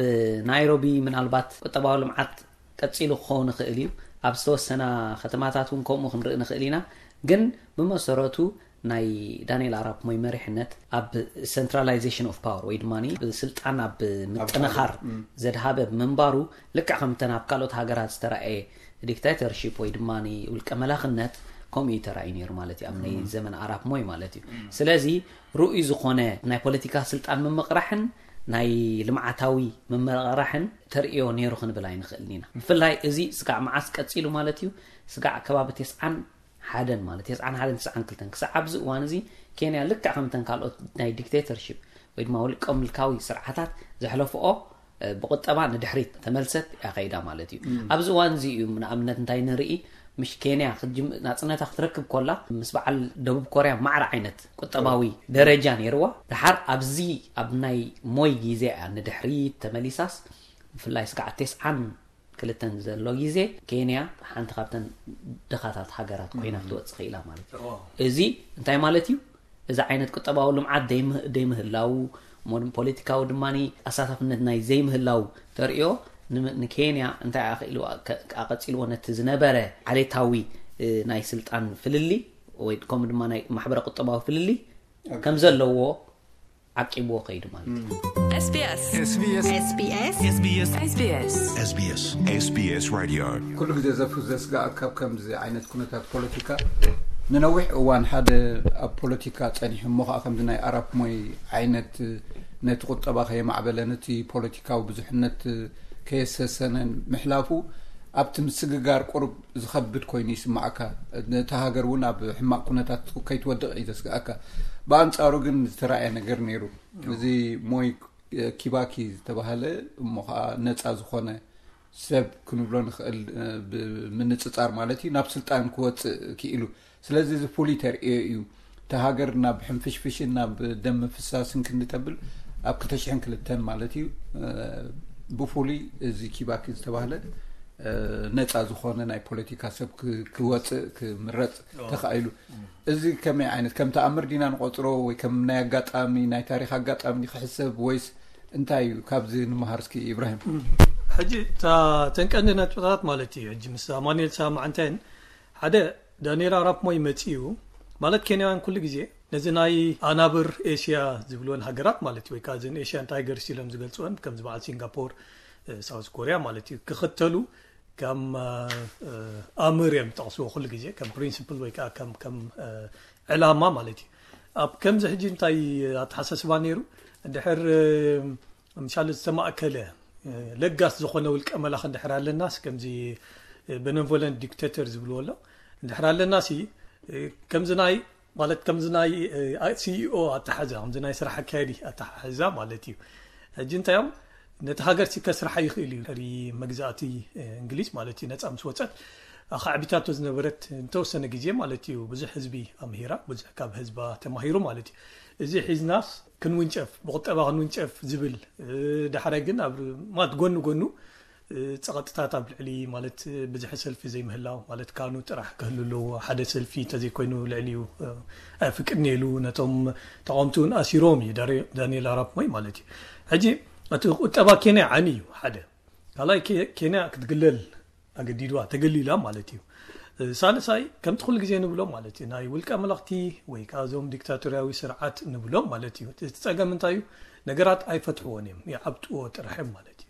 ናይሮቢ ምናልባት ቁጠባዊ ልምዓት ቀጺሉ ክኸውን ይኽእል እዩ። ኣብ ዝተወሰና ከተማታት እውን ከምኡ ክንርኢ ንኽእል ኢና። ግን ብመሰረቱ ናይ ዳንኤል ኣራፕ ሞይ መሪሕነት ኣብ centralization of power ወይ ድማ ስልጣን ኣብ ምጥንኻር ዘድሃበ ብምንባሩ ልክዕ ከምተን ኣብ ካልኦት ሃገራት ዝተረኣየ ዲክታተርሺፕ ወይ ድማ ውልቀ መላኽነት ከምኡ እዩ ተራእዩ ነይሩ ማለት እዩ ኣብ ናይ ዘመን ኣራፕ ሞይ ማለት እዩ። ስለዚ ርኡይ ዝኾነ ናይ ፖለቲካ ስልጣን ምምቕራሕን ናይ ልምዓታዊ ምምቕራሕን ተርእዮ ነይሩ ክንብል ኣይንኽእልን ኢና። ብፍላይ እዚ ስጋዕ መዓስ ቀፂሉ ማለት እዩ? ስጋዕ ከባቢ ተስዓን ሓደን ማለት ተስዓን ሓደን ተስዓን ክልተን ክሳዕ ኣብዚ እዋን እዚ ኬንያ ልክዕ ከምተን ካልኦት ናይ ዲክቴተርሺፕ ወይ ድማ ውልቀ ምልካዊ ስርዓታት ዘሕለፍኦ ብቁጠባ ንድሕሪት ተመልሰት እያ ከይዳ ማለት እዩ። ኣብዚ እዋን እዚ እዩ ንኣብነት እንታይ ንርኢ፣ ምሽ ኬንያ ናፅነታ ክትረክብ ኮላ ምስ በዓል ደቡብ ኮርያ ማዕረ ዓይነት ቁጠባዊ ደረጃ ነይርዋ። ድሓር ኣብዚ ኣብ ናይ ሞይ ግዜ እያ ንድሕሪት ተመሊሳስ ብፍላይ ስጋዕ ተስዓን ክልተን ዘሎ ግዜ ኬንያ ሓንቲ ካብተን ድኻታት ሃገራት ኮይና ክትወፅእ ክኢላ ማለት እዩ። እዚ እንታይ ማለት እዩ? እዚ ዓይነት ቁጠባዊ ልምዓት ዘይምህላው ፖለቲካዊ ድማ ኣሳታፍነት ናይ ዘይምህላው ተርእዮ ንኬንያ እንታይ ኣኽኢልዋ ኣቐፂልዎ ነቲ ዝነበረ ዓሌታዊ ናይ ስልጣን ፍልሊ ወይ ከምኡ ድማ ናይ ማሕበረ ቁጠባዊ ፍልሊ ከም ዘለዎ ዓቂብዎ ከይዱ ማለት እዩ። SBS SBS SBS SBS SBS SBS SBS Radio ኩሉ ግዜ ዘፍዘስጋኣ ካብ ከምዚ ዓይነት ኩነታት ፖለቲካ ንነዊሕ እዋን ሓደ ኣብ ፖለቲካ ጸኒሑ እሞ ከዓ ከምዚ ናይ ኣራፕ ሞይ ዓይነት ነቲ ቁጠባ ከየማዕበለ ነቲ ፖለቲካዊ ብዙሕነት ከየሰሰነን ምሕላፉ ኣብቲ ምስግጋር ቁሩብ ዝኸብድ ኮይኑ ይስማዓካ። ነቲ ሃገር እውን ኣብ ሕማቕ ኩነታት ከይትወድቕ እዩ ዘስግኣካ። ብኣንጻሩ ግን ዝተራእየ ነገር ነይሩ። እዚ ሞይ ኪባኪ ዝተባህለ እሞ ከዓ ነፃ ዝኾነ ሰብ ክንብሎ ንኽእል፣ ብምንፅፃር ማለት እዩ፣ ናብ ስልጣን ክወፅእ ክኢሉ። ስለዚ እዚ ፍሉይ ተርእዮ እዩ። እታ ሃገር ናብ ሕንፍሽፍሽን ናብ ደም ምፍሳስን ክንዲ ተብል ኣብ ክልተ ሽሕን ክልተን ማለት እዩ፣ ብፍሉይ እዚ ኪባኪ ዝተባህለ ነፃ ዝኾነ ናይ ፖለቲካ ሰብ ክወፅእ ክምረፅ ተኻኢሉ። እዚ ከመይ ዓይነት፣ ከም ተኣምር ዲና ንቆፅሮ ወይ ከም ናይ ኣጋጣሚ፣ ናይ ታሪኽ ኣጋጣሚ ክሕሰብ ወይስ እንታይ እዩ? ካብዚ ንምሃር እስኪ ኢብራሂም። ሕጂ እተን ቀንዲ ነጥብታት ማለት እዩ። ሕጂ ምስ ኣማኑኤል ሰማዕንተን ሓደ ዳንኤል ኣራፕ ሞይ መጺኡ ማለት ኬንያውያን ኩሉ ግዜ ነዚ ናይ ኣናብር ኤሽያ ዝብልወን ሃገራት ማለት እዩ፣ ወይ ከዓ እዘን ኤሽያን ታይገርስ ኢሎም ዝገልፅወን ከምዚ በዓል ሲንጋፖር፣ ሳውዝ ኮሪያ ማለት እዩ ክኽተሉ ከም ኣምር እዮም ዝጠቕስዎ ኩሉ ግዜ ከም ፕሪንስፕል ወይ ከዓ ከም ዕላማ ማለት እዩ። ኣብ ከምዚ ሕጂ እንታይ ኣተሓሳስባ ነይሩ? እንድሕር ምሻሉ ዝተማእከለ ለጋስ ዝኾነ ውልቀ መላኽ እንድሕር ኣለናስ፣ ከምዚ በነቮለንት ዲክቴተር ዝብልዎ ኣሎ እንድሕር ኣለናሲ፣ ከምዚ ናይ ማለት ከምዚ ናይ ሲኢኦ ኣተሓዛ፣ ከምዚ ናይ ስራሕ ኣካየዲ ኣተሓሕዛ ማለት እዩ። ሕጂ እንታይ እዮም ነቲ ሃገር ሲ ከስርሓ ይኽእል እዩ። ሪ መግዛእቲ እንግሊዝ ማለት እዩ ነፃ ምስ ወፀት ኣኻዕቢታቶ ዝነበረት እንተወሰነ ግዜ ማለት እዩ ብዙሕ ህዝቢ ኣምሂራ፣ ብዙሕ ካብ ህዝባ ተማሂሩ ማለት እዩ። እዚ ሒዝናስ ክንውንጨፍ፣ ብቁጠባ ክንውንጨፍ ዝብል፣ ዳሕራይ ግን ኣብ ማለት ጎኒ ጎኑ ፀቐጥታት ኣብ ልዕሊ ማለት ብዝሒ ሰልፊ ዘይምህላው ማለት ካኑ ጥራሕ ክህሉ ኣለዎ። ሓደ ሰልፊ እንተዘይኮይኑ ልዕሊኡ ኣይፍቅድን ኢሉ ነቶም ተቃወምቲ እውን ኣሲሮም እዩ ዳንኤል ኣራፕ ሞይ ማለት እዩ። ሕጂ እቲ ቁጠባ ኬንያ ዓኒ እዩ ሓደ። ካልኣይ ኬንያ ክትግለል ኣገዲድዋ፣ ተገሊላ ማለት እዩ። ሳልሳይ ከምቲ ኩሉ ግዜ ንብሎ ማለት እዩ ናይ ውልቀ መለኽቲ ወይ ከዓ እዞም ዲክታቶርያዊ ስርዓት ንብሎም ማለት እዩ። እቲ ፀገም እንታይ እዩ? ነገራት ኣይፈትሕዎን እዮም፣ ይዓብጥዎ ጥራሕ እዮም ማለት እዩ።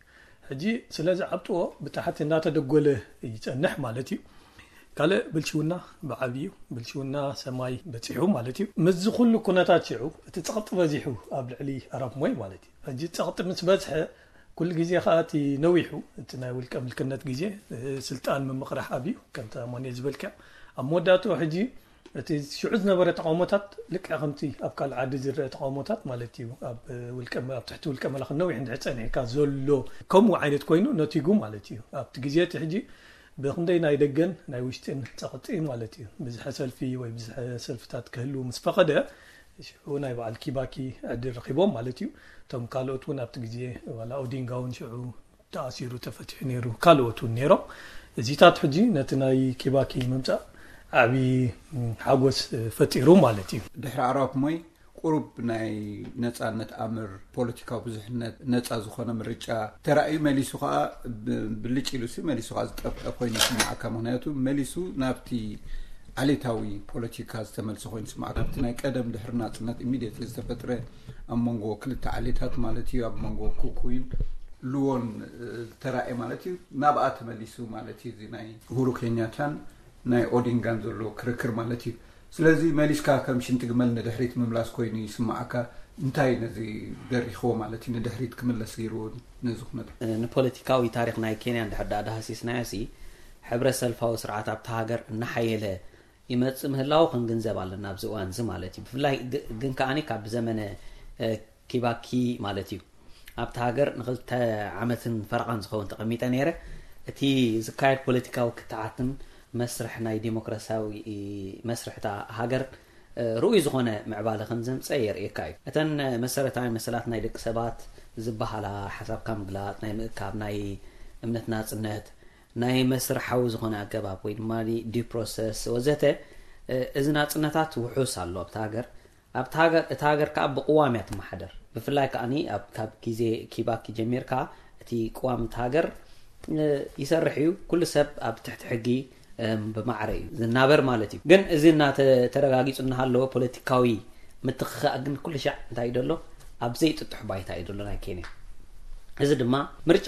ሕጂ ስለዚ ዓብጥዎ ብታሕቲ እናተደጎለ ይፀንሕ ማለት እዩ። ካልእ ብልሽውና ብዓብዩ ብልሽውና ሰማይ በፂሑ ማለት እዩ። ምስዚ ኩሉ ኩነታት ሽዑ እቲ ፀቕጢ በዚሑ ኣብ ልዕሊ ኣራፕ ሞይ ማለት እዩ። ሕጂ ፀቕጢ ምስ በዝሐ ኩሉ ግዜ ከዓ እቲ ነዊሑ እቲ ናይ ውልቀ ምልክነት ግዜ ስልጣን ምምቕራሕ ኣብዩ ከምቲ ኣማኑኤል ዝበልካ ኣብ መወዳእትኡ ሕጂ እቲ ሽዑ ዝነበረ ተቃውሞታት ልክዕ ከምቲ ኣብ ካልእ ዓዲ ዝረአ ተቃውሞታት ማለት እዩ። ኣብ ውልቀ ኣብ ትሕቲ ውልቀ መላኽ ነዊሕ እንድሕር ፀኒሕካ ዘሎ ከምኡ ዓይነት ኮይኑ ነቲጉ ማለት እዩ። ኣብቲ ግዜ እቲ ሕጂ ብክንደይ ናይ ደገን ናይ ውሽጥን ፀቕጢ ማለት እዩ ብዝሐ ሰልፊ ወይ ብዝሐ ሰልፍታት ክህልው ምስ ፈቐደ ሽዑ ናይ በዓል ኪባኪ ዕድል ረኺቦም ማለት እዩ። እቶም ካልኦት እውን ኣብቲ ግዜ ዋላ ኦዲንጋ እውን ሽዑ ተኣሲሩ ተፈቲሑ ነይሩ፣ ካልኦት እውን ነይሮም። እዚታት ሕጂ ነቲ ናይ ኪባኪ ምምፃእ ዓብዪ ሓጎስ ፈጢሩ ማለት እዩ። ድሕሪ ኣራፕ ሞይ ቁሩብ ናይ ነፃነት ኣምር፣ ፖለቲካዊ ብዙሕነት፣ ነፃ ዝኾነ ምርጫ ተራእዩ መሊሱ ከዓ ብልጭ ኢሉ ሲ መሊሱ ከዓ ዝጠፍአ ኮይኑ ይስማዓካ። ምክንያቱ መሊሱ ናብቲ ዓሌታዊ ፖለቲካ ዝተመልሰ ኮይኑ ይስማዓካ። ናብቲ ናይ ቀደም ድሕሪ ናፅነት ኢሚድየትሊ ዝተፈጥረ ኣብ መንጎ ክልተ ዓሌታት ማለት እዩ፣ ኣብ መንጎ ኩኩይን ሉዎን ዝተራእየ ማለት እዩ፣ ናብኣ ተመሊሱ ማለት እዩ። እዚ ናይ ኡሁሩ ኬንያታን ናይ ኦዲንጋን ዘሎ ክርክር ማለት እዩ። ስለዚ መሊስካ ከም ሽንቲ ግመል ንድሕሪት ምምላስ ኮይኑ ይስማዓካ። እንታይ ነዚ ደሪኽዎ ማለት እዩ ንድሕሪት ክምለስ ገይርዎ ነዚ ኩነታት? ንፖለቲካዊ ታሪኽ ናይ ኬንያ እንድሕር ደኣ ዳህሲስናዮ ሲ ሕብረ ሰልፋዊ ስርዓት ኣብታ ሃገር እናሓየለ ይመጽእ ምህላዉ ክንግንዘብ ኣለና ኣብዚ እዋን እዚ ማለት እዩ። ብፍላይ ግን ከኣ ካብ ዘመነ ኪባኪ ማለት እዩ ኣብቲ ሃገር ንክልተ ዓመትን ፈረቓን ዝኸውን ተቐሚጠ ነይረ። እቲ ዝካየድ ፖለቲካዊ ክትዓትን መስርሕ ናይ ዲሞክራሲያዊ መስርሕ እታ ሃገር ርኡይ ዝኾነ ምዕባለ ከም ዘምፀ የርእየካ እዩ። እተን መሰረታዊ መሰላት ናይ ደቂ ሰባት ዝበሃላ ሓሳብካ ምግላፅ፣ ናይ ምእካብ፣ ናይ እምነት ናፅነት፣ ናይ መስርሓዊ ዝኾነ ኣገባብ ወይ ድማ ዲው ፕሮሰስ ወዘተ፣ እዚ ናፅነታት ውሑስ ኣሎ ኣብቲ ሃገር። ኣብቲ ሃገር እታ ሃገር ከዓ ብቅዋም እያ ትመሓደር። ብፍላይ ከዓ ኣብ ካብ ግዜ ኪባኪ ጀሚርካ እቲ ቅዋም እቲ ሃገር ይሰርሕ እዩ። ኩሉ ሰብ ኣብ ትሕቲ ሕጊ ብማዕረ እዩ ዝናበር ማለት እዩ። ግን እዚ እናተረጋጊፁ እናሃለወ ፖለቲካዊ ምትኽኻእ ግን ኩሉ ሻዕ እንታይ እዩ ዘሎ? ኣብ ዘይጥጡሕ ባይታ እዩ ዘሎ ናይ ኬንያ። እዚ ድማ ምርጫ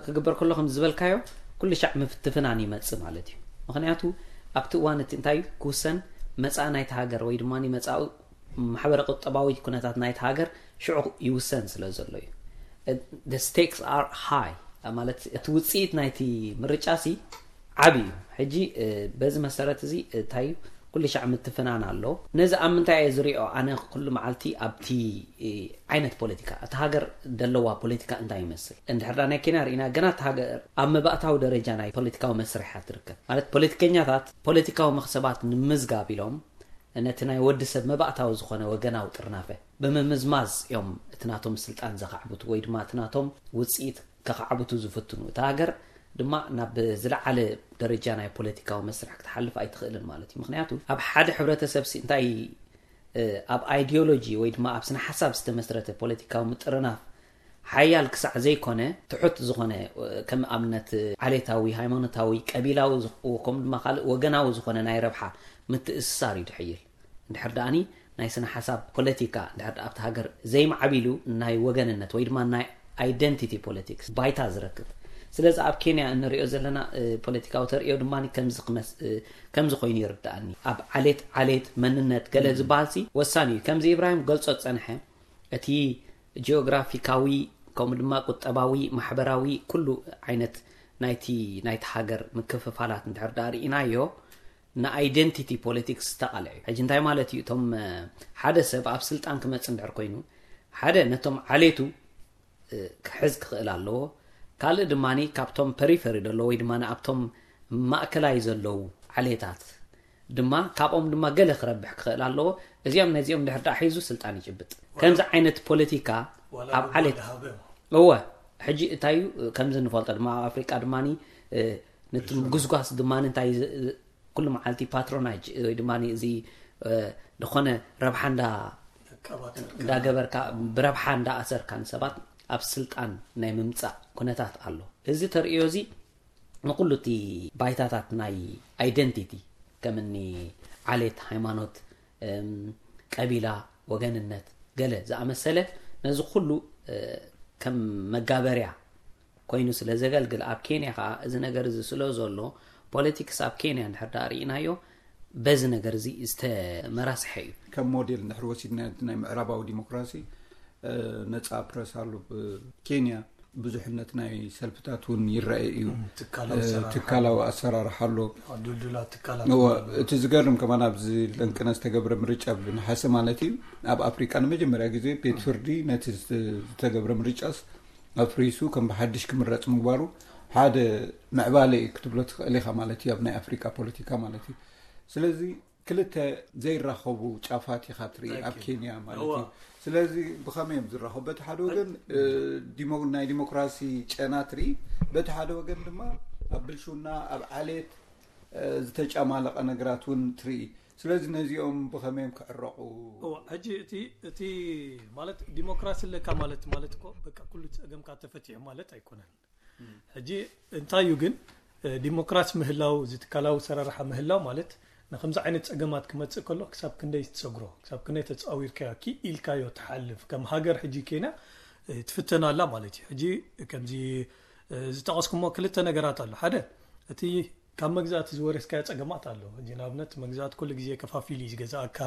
ክግበር ከሎ ከም ዝበልካዮ ኩሉ ሻዕ ምፍትፍናን ይመፅእ ማለት እዩ። ምክንያቱ ኣብቲ እዋን እቲ እንታይ ክውሰን መፃኢ ናይቲ ሃገር ወይ ድማ መፃኢ ማሕበረ ቁጠባዊ ኩነታት ናይቲ ሃገር ሽዑ ይውሰን ስለ ዘሎ እዩ። The stakes are high። ማለት እቲ ውፅኢት ናይቲ ምርጫ ሲ ዓቢ እዩ። ሕጂ በዚ መሰረት እዚ እንታይ ኩሉ ሻዕ ምትፍናን ኣሎ። ነዚ ኣብ ምንታይ እየ ዝሪኦ? ኣነ ኩሉ መዓልቲ ኣብቲ ዓይነት ፖለቲካ፣ እቲ ሃገር ደለዋ ፖለቲካ እንታይ ይመስል? እንድሕር ናይ ኬንያ ርኢና፣ ገና እቲ ሃገር ኣብ መባእታዊ ደረጃ ናይ ፖለቲካዊ መስርሕ እያ ትርከብ። ማለት ፖለቲከኛታት ፖለቲካዊ መኽሰባት ንምዝጋብ ኢሎም ነቲ ናይ ወዲ ሰብ መባእታዊ ዝኾነ ወገናዊ ጥርናፈ ብምምዝማዝ እዮም እቲ ናቶም ስልጣን ዘኻዕብቱ ወይ ድማ እቲ ናቶም ውፅኢት ከኻዕብቱ ዝፍትኑ። እታ ሃገር ድማ ናብ ዝለዓለ ደረጃ ናይ ፖለቲካዊ መስርሕ ክትሓልፍ ኣይትኽእልን ማለት እዩ። ምክንያቱ ኣብ ሓደ ሕብረተሰብ ሲ እንታይ ኣብ ኣይዲዮሎጂ ወይ ድማ ኣብ ስነ ሓሳብ ዝተመስረተ ፖለቲካዊ ምጥርናፍ ሓያል ክሳዕ ዘይኮነ፣ ትሑት ዝኾነ ከም ኣብነት ዓሌታዊ፣ ሃይማኖታዊ፣ ቀቢላዊ ከምኡ ድማ ካልእ ወገናዊ ዝኾነ ናይ ረብሓ ምትእስሳር እዩ ድሕይል። እንድሕር ደኣኒ ናይ ስነ ሓሳብ ፖለቲካ እንድሕር ኣብቲ ሃገር ዘይማዕቢሉ፣ ናይ ወገንነት ወይ ድማ ናይ ኣይደንቲቲ ፖለቲክስ ባይታ ዝረክብ። ስለዚ ኣብ ኬንያ እንሪኦ ዘለና ፖለቲካዊ ተርእዮ ድማ ከምዚ ኮይኑ ይርዳኣኒ። ኣብ ዓሌት ዓሌት መንነት ገለ ዝበሃል ሲ ወሳኒ እዩ። ከምዚ ኢብራሂም ገልጾ ዝጸንሐ፣ እቲ ጂኦግራፊካዊ ከምኡ ድማ ቁጠባዊ፣ ማሕበራዊ፣ ኩሉ ዓይነት ናይቲ ናይቲ ሃገር ምክፍፋላት እንድሕር ደኣ ርኢናዮ፣ ንኣይደንቲቲ ፖለቲክስ ዝተቓልዐ እዩ። ሕጂ እንታይ ማለት እዩ? እቶም ሓደ ሰብ ኣብ ስልጣን ክመጽእ እንድሕር ኮይኑ፣ ሓደ ነቶም ዓሌቱ ክሕዝ ክኽእል ኣለዎ። ካልእ ድማ ካብቶም ፐሪፈሪ ዘሎ ወይ ድማ ኣብቶም ማእከላይ ዘለዉ ዓሌታት ድማ ካብኦም ድማ ገለ ክረብሕ ክኽእል ኣለዎ። እዚኦም ነዚኦም ድሕር ደኣ ሒዙ ስልጣን ይጭብጥ። ከምዚ ዓይነት ፖለቲካ ኣብ ዓሌት እወ። ሕጂ እንታይ እዩ ከምዚ ንፈልጦ ድማ ኣብ ኣፍሪቃ ድማ ነቲ ጉስጓስ ድማ እንታይ ኩሉ መዓልቲ ፓትሮናጅ ወይ ድማ እዚ ዝኾነ ረብሓ እንዳ እንዳገበርካ ብረብሓ እንዳኣሰርካ ንሰባት ኣብ ስልጣን ናይ ምምፃእ ኩነታት ኣሎ። እዚ ተርእዮ እዚ ንኩሉ እቲ ባይታታት ናይ ኣይደንቲቲ ከምኒ ዓሌት፣ ሃይማኖት፣ ቀቢላ፣ ወገንነት ገለ ዝኣመሰለ ነዚ ኩሉ ከም መጋበርያ ኮይኑ ስለ ዘገልግል ኣብ ኬንያ ከዓ እዚ ነገር እዚ ስለ ዘሎ ፖለቲክስ ኣብ ኬንያ እንድሕር ደኣ ርኢናዮ በዚ ነገር እዚ ዝተመራስሐ እዩ። ከም ሞዴል እንድሕር ወሲድና ናይ ምዕራባዊ ዲሞክራሲ ነፃ ፕረስ ኣሎ ብ ኬንያ ብዙሕነት ናይ ሰልፍታት እውን ይረኣይ እዩ። ትካላዊ ኣሰራርሓ ኣሎ። እቲ ዝገርም ከማን ኣብዚ ለንቅነ ዝተገብረ ምርጫ ብነሓሰ ማለት እዩ ኣብ ኣፍሪቃ ንመጀመርያ ግዜ ቤት ፍርዲ ነቲ ዝተገብረ ምርጫስ ኣፍሪሱ ከም ብሓድሽ ክምረፅ ምግባሩ ሓደ ምዕባለ እዩ ክትብሎ ትኽእል ኢኻ ማለት እዩ ኣብ ናይ ኣፍሪቃ ፖለቲካ ማለት እዩ። ስለዚ ክልተ ዘይራኸቡ ጫፋት ኢኻ ትርኢ ኣብ ኬንያ ማለት እዩ። ስለዚ ብኸመይ እዮም ዝራኸቡ? በቲ ሓደ ወገን ናይ ዲሞክራሲ ጨና ትርኢ፣ በቲ ሓደ ወገን ድማ ኣብ ብልሽውና ኣብ ዓሌት ዝተጫማለቐ ነገራት እውን ትርኢ። ስለዚ ነዚኦም ብኸመይ እዮም ክዕረቑ? ሕጂ እቲ እቲ ማለት ዲሞክራሲ ኣለካ ማለት ማለት እኮ በቃ ኩሉ ፀገምካ ተፈቲሑ ማለት ኣይኮነን። ሕጂ እንታይ እዩ ግን ዲሞክራሲ ምህላው እዚ ትካላዊ ኣሰራርሓ ምህላው ማለት ንከምዚ ዓይነት ፀገማት ክመፅእ ከሎ ክሳብ ክንደይ ትሰግሮ ክሳብ ክንደይ ተፃዊርካዮ ክኢልካዮ ትሓልፍ ከም ሃገር ሕጂ ኬንያ ትፍተን ኣላ ማለት እዩ። ሕጂ ከምዚ ዝጠቐስኩሞ ክልተ ነገራት ኣሎ። ሓደ እቲ ካብ መግዛእቲ ዝወረስካዮ ፀገማት ኣሎ። ሕጂ ንኣብነት መግዛእቲ ኩሉ ግዜ ከፋፊሉ እዩ ዝገዛእካ፣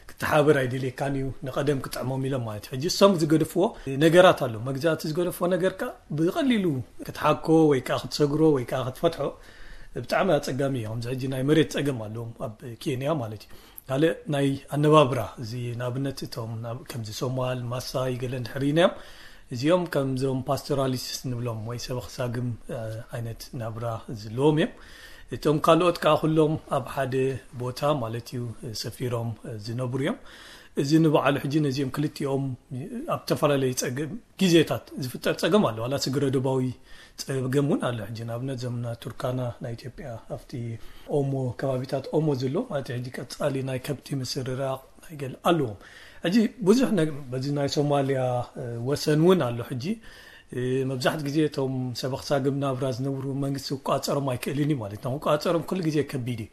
ክተሓበር ኣይደልየካን እዩ፣ ንቐደም ክጥዕሞም ኢሎም ማለት እዩ። ሕጂ እሶም ዝገደፍዎ ነገራት ኣሎ። መግዛእቲ ዝገደፍዎ ነገር ከኣ ብቐሊሉ ክትሓኮ ወይ ከኣ ክትሰግሮ ወይ ከኣ ክትፈትሖ ብጣዕሚ ኣጸጋሚ እዩ። ከምዚ ሕጂ ናይ መሬት ጸገም ኣለዎም ኣብ ኬንያ ማለት እዩ። ካልእ ናይ ኣነባብራ እዚ ንኣብነት እቶም ከምዚ ሶማል ማሳይ ገለ እንድሕር ኢናዮም እዚኦም ከምዞም ፓስቶራሊስት ንብሎም ወይ ሰበኽ ሳግም ዓይነት ናብራ ዝለዎም እዮም። እቶም ካልኦት ከዓ ኩሎም ኣብ ሓደ ቦታ ማለት እዩ ሰፊሮም ዝነብሩ እዮም። እዚ ንባዕሉ ሕጂ ነዚኦም ክልቲኦም ኣብ ዝተፈላለዩ ፀገም ግዜታት ዝፍጠር ፀገም ኣሎ። ዋላ ስግረ ዶባዊ ፀገም እውን ኣሎ። ሕጂ ንኣብነት ዘምና ቱርካና ናይ ኢትዮጵያ ኣብቲ ኦሞ ከባቢታት ኦሞ ዘሎ ማለት ሕጂ ቀፃሊ ናይ ከብቲ ምስርራቕ ናይ ገለ ኣለዎም። ሕጂ ብዙሕ በዚ ናይ ሶማልያ ወሰን እውን ኣሎ። ሕጂ መብዛሕት ግዜ እቶም ሰበኽ ሳግም ናብራ ዝነብሩ መንግስቲ ክቋፀሮም ኣይክእልን እዩ ማለት ነው። ክቋፀሮም ኩሉ ግዜ ከቢድ እዩ።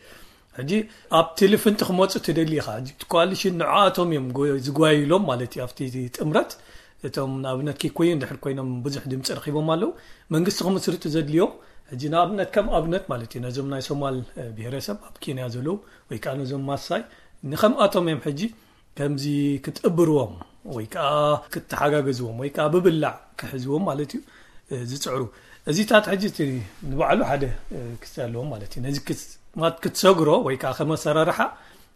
ሕጂ ኣብቲ ልፍንቲ ክመፁ ትደሊ ኢኻ። ኮሊሽን ንዓኣቶም እዮም ዝጓይሎም ማለት እዩ። ኣብቲ ጥምረት እቶም ንኣብነት ኪኩዩ እንድሕር ኮይኖም ብዙሕ ድምፂ ረኪቦም ኣለዉ። መንግስቲ ክምስርቱ ዘድልዮም ሕጂ ንኣብነት ከም ኣብነት ማለት እዩ ነዞም ናይ ሶማል ብሄረሰብ ኣብ ኬንያ ዘለዉ ወይ ከዓ ነዞም ማሳይ ንከምኣቶም እዮም ሕጂ ከምዚ ክትእብርዎም ወይ ከዓ ክትተሓጋገዝዎም ወይ ከዓ ብብላዕ ክሕዝዎም ማለት እዩ ዝፅዕሩ። እዚታት ሕጂ እቲ ንባዕሉ ሓደ ክስቲ ኣለዎ ማለት እዩ። ነዚ ክትሰግሮ ወይ ከዓ ከመሰራርሓ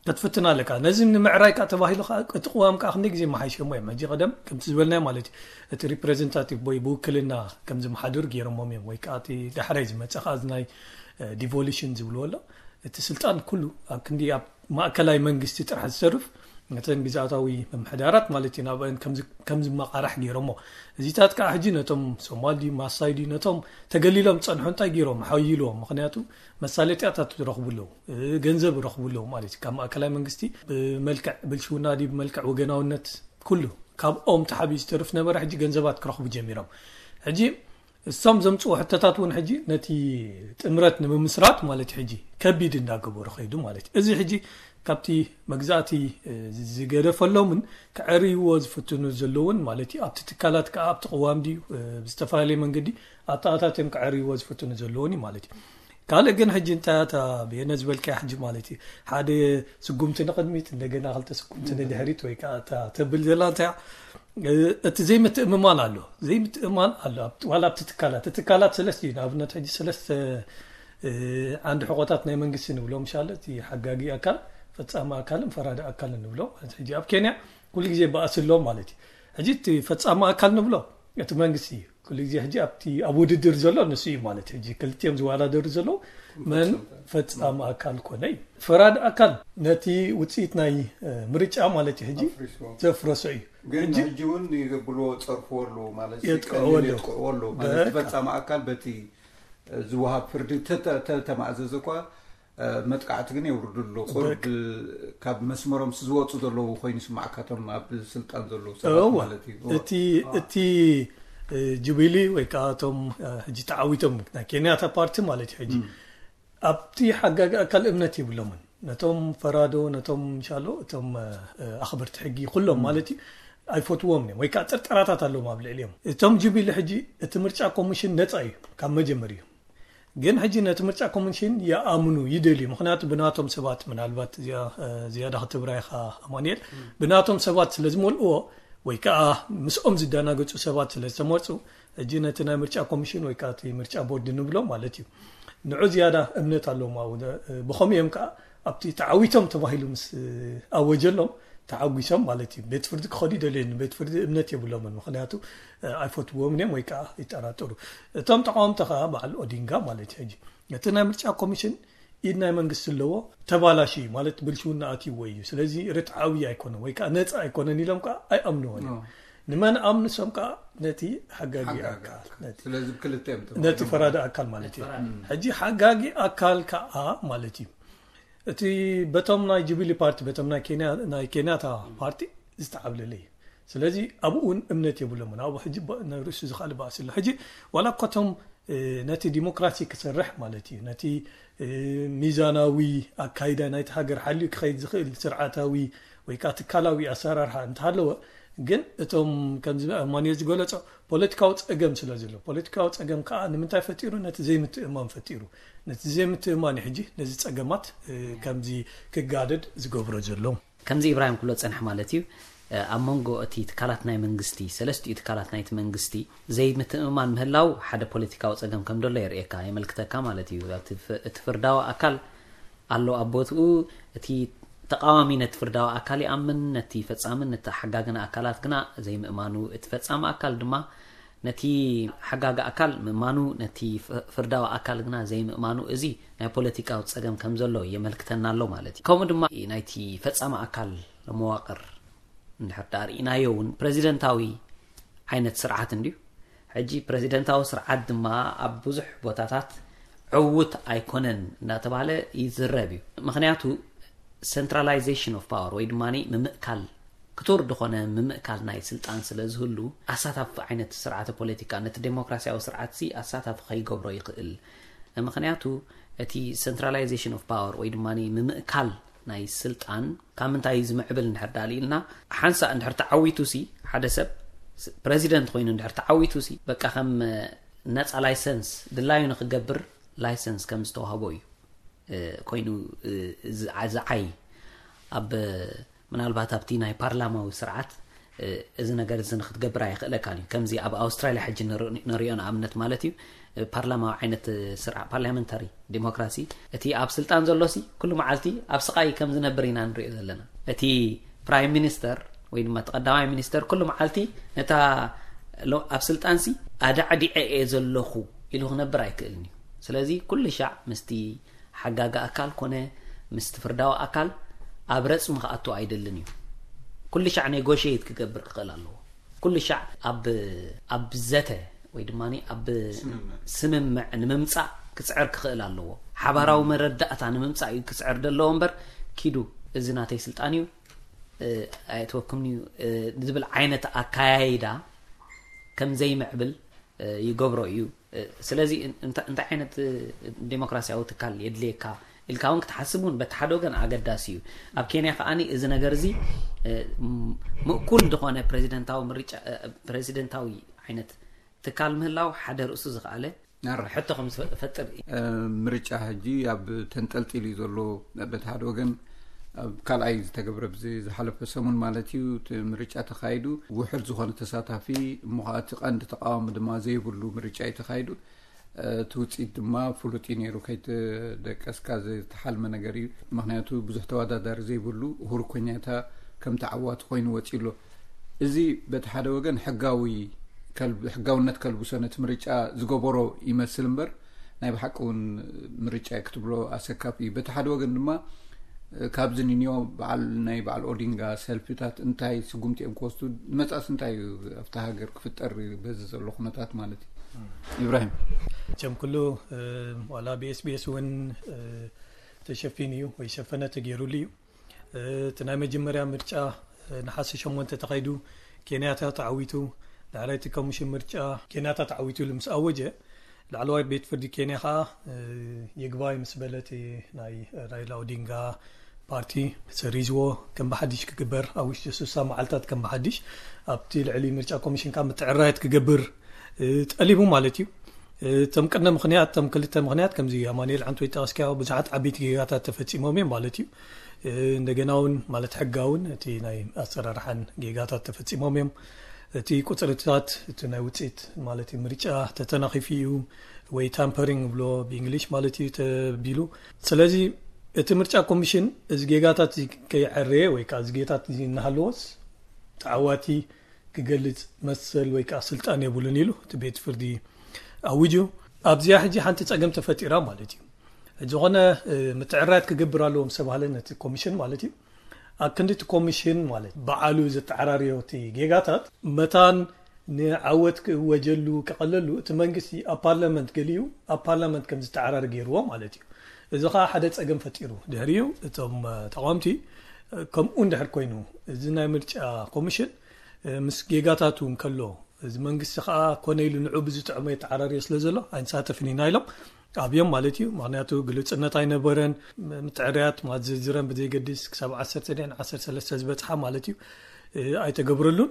ክትፍትን ኣለካ። ነዚ ንምዕራይ ከዓ ተባሂሉ ከዓ እቲ ቅዋም ከዓ ክንደይ ግዜ መሓይሸሞ እዮም። ሕጂ ቀደም ከምቲ ዝበልናዮ ማለት እዩ፣ እቲ ሪፕሬዘንታቲቭ ወይ ብውክልና ከም ዝመሓድር ገይሮሞም እዮም። ወይ ከዓ እቲ ዳሕራይ ዝመፀ ከዓ እዚ ናይ ዲቮሉሽን ዝብልዎ ኣሎ። እቲ ስልጣን ኩሉ ኣብ ክንዲ ኣብ ማእከላይ መንግስቲ ጥራሕ ዝሰርፍ፣ ነተን ግዝኣታዊ ምምሕዳራት ማለት እዩ፣ ናብአን ከም ዝመቃራሕ ገይሮሞ። እዚታት ከዓ ሕጂ ነቶም ሶማል ድዩ ማሳይ ድዩ ነቶም ተገሊሎም ዝፀንሑ እንታይ ገይሮም ሓይልዎም። ምክንያቱ መሳለጥያታት ረኽቡ ኣለዉ፣ ገንዘብ ረኽቡ ኣለዉ ማለት እዩ። ካብ ማእከላይ መንግስቲ ብመልክዕ ብልሽውና ድዩ ብመልክዕ ወገናውነት ኩሉ ካብኦም ተሓቢኡ ዝተርፍ ነበረ። ሕጂ ገንዘባት ክረኽቡ ጀሚሮም። ሕጂ እሶም ዘምፅኡ ሕቶታት እውን ሕጂ ነቲ ጥምረት ንምምስራት ማለት ሕጂ ከቢድ እንዳገበሩ ከይዱ ማለት እዩ። እዚ ሕጂ ካብቲ መግዛእቲ ዝገደፈሎምን ክዕርይዎ ዝፍትኑ ዘለውን ማለት እዩ። ኣብቲ ትካላት ከዓ ኣብቲ ቅዋም ድዩ ብዝተፈላለየ መንገዲ ኣተኣታት እዮም ክዕርይዎ ዝፍትኑ ዘለውን እዩ ማለት እዩ። ካልእ ግን ሕጂ እንታይ እታ ብየነ ዝበልካያ ሕጂ ማለት እዩ፣ ሓደ ስጉምቲ ንቕድሚት እንደገና ክልተ ስጉምቲ ንድሕሪት ወይ ከዓ እታ ተብል ዘላ እንታይ እቲ ዘይምትእምማን ኣሎ። ዘይምትእምማን ኣሎ ዋላ ኣብቲ ትካላት። እቲ ትካላት ሰለስተ እዩ። ንኣብነት ሕጂ ሰለስተ ዓንዲ ሕቆታት ናይ መንግስቲ ንብሎም ሻለ፣ እቲ ሓጋጊ ኣካል፣ ፈፃሚ ኣካልን ፈራዲ ኣካልን ንብሎ ማለት። ሕጂ ኣብ ኬንያ ኩሉ ግዜ በኣሲ ኣሎ ማለት እዩ። ሕጂ እቲ ፈፃሚ ኣካል ንብሎ እቲ መንግስቲ እዩ። ኩሉ ግዜ ሕጂ ኣብቲ ኣብ ውድድር ዘሎ ንሱ እዩ ማለት። ሕጂ ክልቲኦም ዝወዳደሩ ዘለዉ መን ፈፃሚ ኣካል ኮነ እዩ። ፈራዲ ኣካል ነቲ ውፅኢት ናይ ምርጫ ማለት እዩ ሕጂ ዘፍረሶ እዩ። ግን ሕጂ እውን ይገብልዎ፣ ጸርፍዎ ኣለዉ ማለት የጥቅዕዎ ኣለዉ። የጥቅዕዎ ኣለዉ ማለት በቃ። ፈጻሚ ኣካል በቲ ዝወሃብ ፍርዲ ተተ- ተተማእዘዘ እኳ መጥቃዕቲ ግን የውርዱ ኣለዉ። ቁሩብ ካብ መስመሮም ዝወፁ ዘለዉ ኮይኑ ይስማዕካ፣ እቶም ኣብ ስልጣን ዘለዉ ሰባት እወ። ማለት እዩ። እወ። እቲ እቲ እ፣ ጁቢሊ ወይ ከዓ እቶም እ፣ ሕጂ ተዓዊቶም ናይ ኬንያታ ፓርቲ ማለት እዩ። ሕጂ ኣብቲ ሓጋጊ ኣካል እምነት የብሎምን። ነቶም ፈራዶ፣ ነቶም ሻሎ፣ እቶም እ፣ ኣኽበርቲ ሕጊ ኩሎም ማለት እዩ ኣይፈትዎም እዮም ወይ ከዓ ጥርጠራታት ኣለዎም ኣብ ልዕሊኦም። እቶም ጁቢሊ ሕጂ እቲ ምርጫ ኮሚሽን ነፃ እዩ ካብ መጀመሪኡ። ግን ሕጂ ነቲ ምርጫ ኮሚሽን ይኣምኑ ይደልዩ፣ ምክንያቱ ብናቶም ሰባት፣ ምናልባት እዚኣ ዝያዳ ክትብራ ኢኻ ኣማኑኤል፣ ብናቶም ሰባት ስለ ዝመልእዎ ወይ ከዓ ምስኦም ዝደናገፁ ሰባት ስለ ዝተመርፁ፣ ሕጂ ነቲ ናይ ምርጫ ኮሚሽን ወይ ከዓ እቲ ምርጫ ቦርድ ንብሎ ማለት እዩ፣ ንዑ ዝያዳ እምነት ኣለዎም ኣብኡ። ብኸምኡ እዮም ከዓ ኣብቲ ተዓዊቶም ተባሂሉ ምስ ኣወጀሎም ተዓጒሶም ማለት እዩ። ቤት ፍርዲ ክኸዱ ይደልዩ፣ ንቤት ፍርዲ እምነት የብሎምን፣ ምክንያቱ ኣይፈትዎም እዮም ወይ ከዓ ይጠራጠሩ። እቶም ተቃወምቲ ከዓ በዓል ኦዲንጋ ማለት እዩ። ሕጂ እቲ ናይ ምርጫ ኮሚሽን ኢድ ናይ መንግስቲ ኣለዎ፣ ተባላሽዩ ማለት ብልሽውና ኣትይዎ እዩ፣ ስለዚ ርትዓዊ ኣይኮነን ወይ ከዓ ነፃ ኣይኮነን ኢሎም ከዓ ኣይኣምንዎን እዮም። ንመን ኣምንሶም ከዓ ነቲ ሓጋጊ ኣካል ነቲ ስለዚ ብክልተ እዮም ነቲ ፈራዲ ኣካል ማለት እዩ። ሕጂ ሓጋጊ ኣካል ከዓ ማለት እዩ እቲ በቶም ናይ ጁቢሊ ፓርቲ በቶም ናይ ኬንያ ናይ ኬንያታ ፓርቲ ዝተዓብለለ እዩ። ስለዚ ኣብኡ እውን እምነት የብሎምን። ኣብኡ ሕጂ ባ- ንርእሱ ዝኸኣለ ባእሲ ኣሎ። ሕጂ ዋላ እኳ እቶም እ፣ ነቲ ዲሞክራሲ ክሰርሕ ማለት እዩ፣ ነቲ እ፣ ሚዛናዊ ኣካይዳ ናይቲ ሃገር ሓልዩ ክኸይድ ዝኽእል ስርዓታዊ ወይ ከዓ ትካላዊ ኣሰራርሓ እንተሃለወ፣ ግን እቶም ከምዚ ኣማኑኤል ዝገለጾ ፖለቲካዊ ጸገም ስለ ዘሎ፣ ፖለቲካዊ ጸገም ከዓ ንምንታይ ፈጢሩ? ነቲ ዘይምትእማን ፈጢሩ። ነቲ ዘይምትእማን እዩ ሕጂ ነዚ ጸገማት እ፣ ከምዚ ክጋደድ ዝገብሮ ዘሎ። ከምዚ ኢብራሂም ክብሎ ዝጸንሐ ማለት እዩ፣ ኣብ መንጎ እቲ ትካላት ናይ መንግስቲ፣ ሰለስቲኡ ትካላት ናይቲ መንግስቲ ዘይምትእምማን ምህላው ሓደ ፖለቲካዊ ጸገም ከም ደሎ የርእየካ፣ የመልክተካ ማለት እዩ። ኣብቲ ፍ- እቲ ፍርዳዊ ኣካል ኣሎ ኣብ ቦትኡ፣ እቲ ተቃዋሚ ነቲ ፍርዳዊ ኣካል ይኣምን፣ ነቲ ፈጻምን ነቲ ሓጋግን ኣካላት ግና ዘይምእማኑ፣ እቲ ፈጻሚ ኣካል ድማ ነቲ ሓጋጊ ኣካል ምእማኑ፣ ነቲ ፍ- ፍርዳዊ ኣካል ግና ዘይምእማኑ፣ እዚ ናይ ፖለቲካዊ ጸገም ከም ዘሎ የመልክተና ኣሎ ማለት እዩ። ከምኡ ድማ ናይቲ ፈጻሚ ኣካል መዋቕር እንድሕር ደኣ ርኢናዮ እውን ፕረዚደንታዊ ዓይነት ስርዓት እንድዩ። ሕጂ ፕረዚደንታዊ ስርዓት ድማ ኣብ ብዙሕ ቦታታት ዕዉት ኣይኮነን እናተባህለ ይዝረብ እዩ። ምክንያቱ centralization of power ወይ ድማ ምምእካል ክቱር ዝኾነ ምምእካል ናይ ስልጣን ስለ ዝህሉ ኣሳታፊ ዓይነት ስርዓተ ፖለቲካ ነቲ ዴሞክራሲያዊ ስርዓት ሲ ኣሳታፊ ከይገብሮ ይኽእል። ምክንያቱ እቲ centralization of power ወይ ድማ ምምእካል ናይ ስልጣን ካብ ምንታይ እዩ ዝምዕብል እንድሕር ዳኣ ኢልና ሓንሳእ እንድሕር ተዓዊቱ ሲ ሓደ ሰብ ፕረዚደንት ኮይኑ እንድሕር ተዓዊቱ ሲ በቃ ከም ነፃ ላይሰንስ ድላዩ ንክገብር ላይሰንስ ከም ዝተዋህቦ እዩ ኮይኑ ዝዓይ ኣብ ምናልባት ኣብቲ ናይ ፓርላማዊ ስርዓት እዚ ነገር እዚ ንክትገብር ኣይኽእለካን እዩ። ከምዚ ኣብ ኣውስትራልያ ሕጂ ንር- ንሪኦ ንኣብነት ማለት እዩ፣ ፓርላማዊ ዓይነት ስርዓ፣ ፓርላመንታሪ ዲሞክራሲ፣ እቲ ኣብ ስልጣን ዘሎሲ ኩሉ መዓልቲ ኣብ ስቓይ ከም ዝነብር ኢና ንሪኦ ዘለና። እቲ ፕራይም ሚኒስተር ወይ ድማ እቲ ቀዳማይ ሚኒስተር ኩሉ መዓልቲ ነታ ሎ- ኣብ ስልጣንሲ ኣዳዕዲዐ እየ ዘለኹ ኢሉ ክነብር ኣይክእልን እዩ። ስለዚ ኩሉ ሻዕ ምስቲ ሓጋጊ ኣካል ኮነ ምስቲ ፍርዳዊ ኣካል ኣብ ረጽሚ ክኣቱ ኣይደልን እዩ። ኩሉ ሻዕ ኔጎሽየት ክገብር ክኽእል ኣለዎ። ኩሉ ሻዕ ኣብ ኣብ ዘተ ወይ ድማ ኣብ ስምምዕ ንምምጻእ ክጽዕር ክኽእል ኣለዎ። ሓባራዊ መረዳእታ ንምምጻእ እዩ ክጽዕር ዘለዎ እምበር፣ ኪዱ እዚ ናተይ ስልጣን እዩ፣ እ፣ ኣየትወክምኒ እዩ፣ እ፣ ዝብል ዓይነት ኣካያይዳ ከም ዘይምዕብል እ፣ ይገብሮ እዩ። እ፣ ስለዚ እን- እንታ- እንታይ ዓይነት እ፣ ዴሞክራሲያዊ ትካል የድልየካ ኢልካ እውን ክትሓስብ እውን በቲ ሓደ ወገን ኣገዳሲ እዩ። ኣብ ኬንያ ከዓኒ እዚ ነገር እዚ እ፣ ም- ምእኩል ዝኾነ ፕሬዚደንታዊ ምርጫ እ፣ ፕሬዚደንታዊ ዓይነት ትካል ምህላው ሓደ ርእሱ ዝኸኣለ ሕቶ ከም ዝፈጥር እዩ። ምርጫ ሕጂ ኣብ ተንጠልጢሉ እዩ ዘሎ። በቲ ሓደ ወገን ኣብ ካልኣይ ዝተገብረ ብዚ ዝሓለፈ ሰሙን ማለት እዩ እቲ ምርጫ ተኻይዱ፣ ውሕድ ዝኾነ ተሳታፊ እሞ ከዓ እቲ ቀንዲ ተቃዋሚ ድማ ዘይብሉ ምርጫ እዩ ተኻይዱ። እቲ ውፅኢት ድማ ፍሉጥ እዩ ነይሩ፣ ከይተደቀስካ ዝተሓልመ ነገር እዩ። ምክንያቱ ብዙሕ ተወዳዳሪ ዘይብሉ ኡሁሩ ኮኛታ ከም ተዓዋቲ ኮይኑ ወፂኡ ኣሎ። እዚ በቲ ሓደ ወገን ሕጋዊ ሕጋውነት ከልብሶ ነቲ ምርጫ ዝገበሮ ይመስል እምበር ናይ ብሓቂ እውን ምርጫ ክትብሎ ኣሰካፍ እዩ። በቲ ሓደ ወገን ድማ ካብዚ ንንዮ በዓል ናይ በዓል ኦዲንጋ ሰልፊታት እንታይ ስጉምቲ እዮም ክወስዱ ንመጻእስ እንታይ እዩ ኣብቲ ሃገር ክፍጠር በዚ ዘሎ ኩነታት ማለት እዩ። ኢብራሂም። ቸም ኩሉ ዋላ ብኤስቢኤስ እውን ተሸፊኑ እዩ ወይ ሸፈነ ተገይሩሉ እዩ። እቲ ናይ መጀመርያ ምርጫ ነሓሰ ሸሞንተ ተኻይዱ፣ ኬንያታ ተዓዊቱ። ዳሕራይ እቲ ኮሚሽን ምርጫ ኬንያታ ተዓዊቱ ኢሉ ምስ ኣወጀ፣ ላዕለዋይ ቤት ፍርዲ ኬንያ ከዓ ይግባይ ምስ በለ እቲ ናይ ራይላ ኦዲንጋ ፓርቲ ሰሪዝዎ ከም ብሓድሽ ክግበር ኣብ ውሽጢ ስሳ መዓልታት ከም ብሓድሽ ኣብቲ ልዕሊ ምርጫ ኮሚሽን ከዓ ምትዕራየት ክገብር ጠሊቡ ማለት እዩ። እቶም ቅድመ ምክንያት እቶም ክልተ ምክንያት ከምዚ ኣማኑኤል ዓንቶ ይጠቀስካዮ ብዙሓት ዓበይቲ ጌጋታት ተፈፂሞም እዮም ማለት እዩ። እንደገና እውን ማለት ሕጋውን እቲ ናይ ኣሰራርሓን ጌጋታት ተፈፂሞም እዮም። እቲ ቁፅርታት እቲ ናይ ውፅኢት ማለት ምርጫ ተተናኺፉ እዩ ወይ ታምፐሪንግ ብሎ ብእንግሊሽ ማለት እዩ ተቢሉ። ስለዚ እቲ ምርጫ ኮሚሽን እዚ ጌጋታት እዚ ከይዐረየ ወይ ከዓ እዚ ጌታት እዚ እናሃለዎስ ተዓዋቲ ክገልፅ መሰል ወይ ከዓ ስልጣን የብሉን ኢሉ እቲ ቤት ፍርዲ ኣውጁ። ኣብዚኣ ሕጂ ሓንቲ ፀገም ተፈጢራ ማለት እዩ። ዝኾነ ምትዕራያት ክገብር ኣለዎም ዝተባሃለ ነቲ ኮሚሽን ማለት እዩ። ኣብ ክንዲ እቲ ኮሚሽን ማለት በዓሉ ዘተዓራርዮ እቲ ጌጋታት መታን ንዓወት ክእወጀሉ ክቐለሉ እቲ መንግስቲ ኣብ ፓርላመንት ገሊኡ ኣብ ፓርላመንት ከም ዝተዓራሪ ገይርዎ ማለት እዩ። እዚ ከዓ ሓደ ፀገም ፈጢሩ። ድሕሪኡ እቶም ተቃወምቲ ከምኡ እንድሕር ኮይኑ እዚ ናይ ምርጫ ኮሚሽን ምስ ጌጋታቱ እንከሎ እዚ መንግስቲ ከዓ ኮነ ኢሉ ንዑ ብዝጥዕሞ የተዓራርዮ ስለ ዘሎ ኣይንሳተፍን ኢና ኢሎም ኣብዮም ማለት እዩ። ምክንያቱ ግልፅነት ኣይነበረን። ምትዕርያት ማለት ዝርዝረን ብዘይገድስ ክሳብ ዓሰርተ ድን ዓሰርተ ሰለስተ ዝበፅሓ ማለት እዩ ኣይተገብረሉን።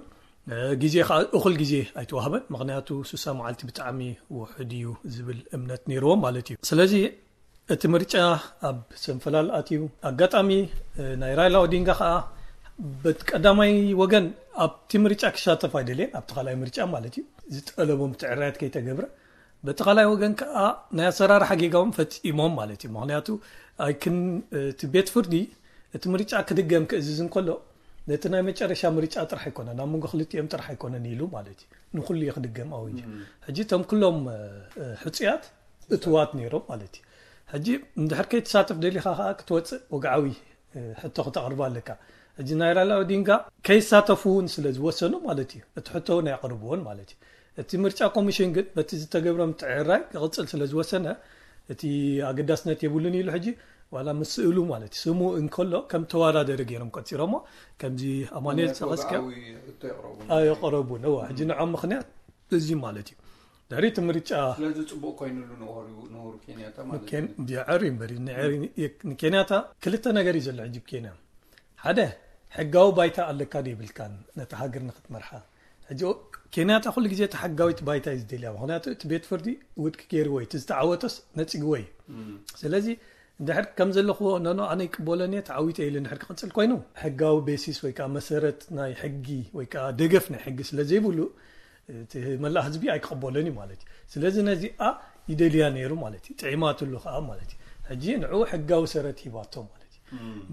ግዜ ከዓ እኹል ግዜ ኣይተዋህበን። ምክንያቱ ስሳ መዓልቲ ብጣዕሚ ውሕድ እዩ ዝብል እምነት ነይርዎም ማለት እዩ። ስለዚ እቲ ምርጫ ኣብ ሰንፈላል ኣትዩ። ኣጋጣሚ ናይ ራይላ ኦዲንጋ ከዓ በቲ ቀዳማይ ወገን ኣብቲ ምርጫ ክሳተፍ ኣይደልየን፣ ኣብቲ ካልኣይ ምርጫ ማለት እዩ። ዝጠለቦ ምትዕርያት ከይተገብረ በቲ ካልኣይ ወገን ከዓ ናይ ኣሰራርሓ ጌጋዎም ፈፂሞም ማለት እዩ። ምክንያቱ ኣይክን እቲ ቤት ፍርዲ እቲ ምርጫ ክድገም ክእዝዝ እንከሎ ነቲ ናይ መጨረሻ ምርጫ ጥራሕ ኣይኮነን፣ ኣብ መንጎ ክልቲኦም ጥራሕ ኣይኮነን ኢሉ ማለት እዩ። ንኩሉ እዩ ክድገም ኣውጅ። ሕጂ እቶም ኩሎም ሕፁያት እትዋት ነይሮም ማለት እዩ። ሕጂ እንድሕር ከይትሳተፍ ደሊኻ ከዓ ክትወፅእ ወግዓዊ ሕቶ ክተቕርብ ኣለካ። ሕጂ ናይ ራይላ ኦዲንጋ ከይሳተፉ እውን ስለ ዝወሰኑ ማለት እዩ እቲ ሕቶ እውን ኣየቕርብዎን ማለት እዩ። እቲ ምርጫ ኮሚሽን ግን በቲ ዝተገብረ ምትዕርራይ ክቕፅል ስለ ዝወሰነ እቲ ኣገዳስነት የብሉን ኢሉ ሕጂ ዋላ ምስ ስእሉ ማለት እዩ ስሙ እንከሎ ከም ተወዳደሪ ገይሮም ቆፂሮሞ። ከምዚ ኣማኑኤል ፀቐስካ ኣየቕረቡን። ሕጂ ንዖም ምክንያት እዚ ማለት እዩ። ድሕሪ እቲ ምርጫ ስለዚ ፅቡቅ ኮይኑሉ ንኡሁሩ ኬንያታ ማለት እዩ። ዲያዕር እምበሪ ንኬንያታ ክልተ ነገር እዩ ዘሎ ሕጂ ኬንያ። ሓደ ሕጋዊ ባይታ ኣለካ ዶ ይብልካን ነቲ ሃገር ንክትመርሓ። ሕጂ ኬንያታ ኩሉ ግዜ እቲ ሕጋዊት ባይታ እዩ ዝደልያ። ምክንያቱ እቲ ቤት ፍርዲ ውድቂ ገይርዎ እዩ፣ እቲ ዝተዓወተስ ነፂግዎ እዩ። ስለዚ እንድሕር ከም ዘለኹዎ፣ ኖኖ፣ ኣነ ይቅበሎን እየ፣ ተዓዊተ ኢሉ እንድሕር ክቕጽል ኮይኑ፣ ሕጋዊ ቤሲስ ወይ ከዓ መሰረት ናይ ሕጊ ወይ ከዓ ደገፍ ናይ ሕጊ ስለ ዘይብሉ፣ እቲ መላእ ህዝቢ ኣይክቕበሎን እዩ ማለት እዩ። ስለዚ ነዚኣ ይደልያ ነይሩ ማለት እዩ። ጥዒማትሉ ከዓ ማለት እዩ። ሕጂ ንዕኡ ሕጋዊ ሰረት ሂባቶ ማለት እዩ።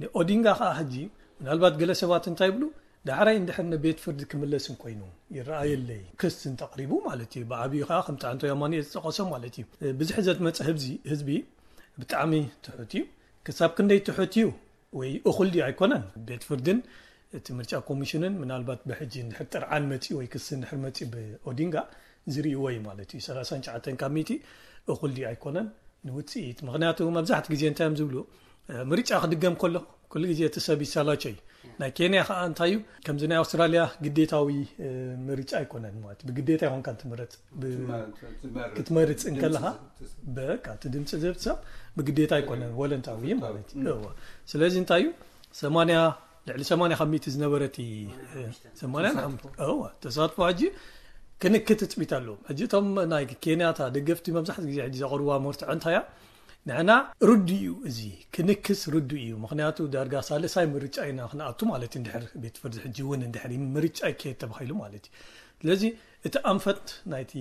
ንኦዲንጋ ከዓ ሕጂ ምናልባት ገለ ሰባት እንታይ ይብሉ፣ ዳሕራይ እንድሕር ንቤት ፍርዲ ክምለስ እንኮይኑ ይረኣየለይ፣ ክስ እንተቕሪቡ ማለት እዩ። ብዓብዩ ከዓ ከምቲ ኣንቶ ያማኑኤል ዝጠቐሶ ማለት እዩ። ብዝሒ ዘትመፀ ህዝቢ፣ ህዝቢ ብጣዕሚ ትሑት እዩ። ክሳብ ክንደይ ትሑት እዩ ወይ እኹል ድዩ ኣይኮነን፣ ቤት ፍርድን እቲ ምርጫ ኮሚሽንን ምናልባት ብሕጂ እንድሕር ጥርዓን መፂኡ ወይ ክሲ እንድሕር መፂኡ ብኦዲንጋ ዝርእይዎ እዩ ማለት እዩ። ሰላሳን ትሽዓተን ካብ ሚእቲ እኹል ድዩ ኣይኮነን ንውፅኢት። ምኽንያቱ መብዛሕቲ ግዜ እንታይ እዮም ዝብሉ፣ እ፣ ምርጫ ክድገም ከሎ ኩሉ ግዜ እቲ ሰብ ይሰላቸው እዩ። ናይ ኬንያ ከዓ እንታይ እዩ፣ ከምዚ ናይ ኣውስትራልያ ግዴታዊ፣ እ፣ ምርጫ ኣይኮነን ማለት እዩ። ብግዴታ ይኾንካ ትምረፅ። ብ-፣ ክትመርፅ እንከለኻ በቃ እቲ ድምፂ ዝህብ ሰብ ብግዴታ ኣይኮነን፣ ቮለንታዊ ማለት እዩ። እወ። ስለዚ እንታይ እዩ፣ ሰማንያ፣ ልዕሊ ሰማንያ ካብ ሚእቲ ዝነበረ እቲ፣ እ፣ ሰማንያ ንሓምሳ፣ እወ፣ ተሳትፎ ሕጂ ክንኪ ትፅቢት ኣለዎም። ሕጂ እቶም ናይ ኬንያታ ደገፍቲ መብዛሕትኡ ግዜ ሕጂ ዘቕርብዋ መርትዖ እንታይ እያ? ንሕና ርዱእ እዩ፣ እዚ ክንክስ ርዱእ እዩ። ምኽንያቱ ዳርጋ ሳልሳይ ምርጫ ኢና ክንኣቱ ማለት እዩ፣ እንድሕር ቤት ፍርዲ ሕጂ እውን እንድሕር ምርጫ ይካየድ ተባሂሉ ማለት እዩ። ስለዚ እቲ ኣንፈት ናይቲ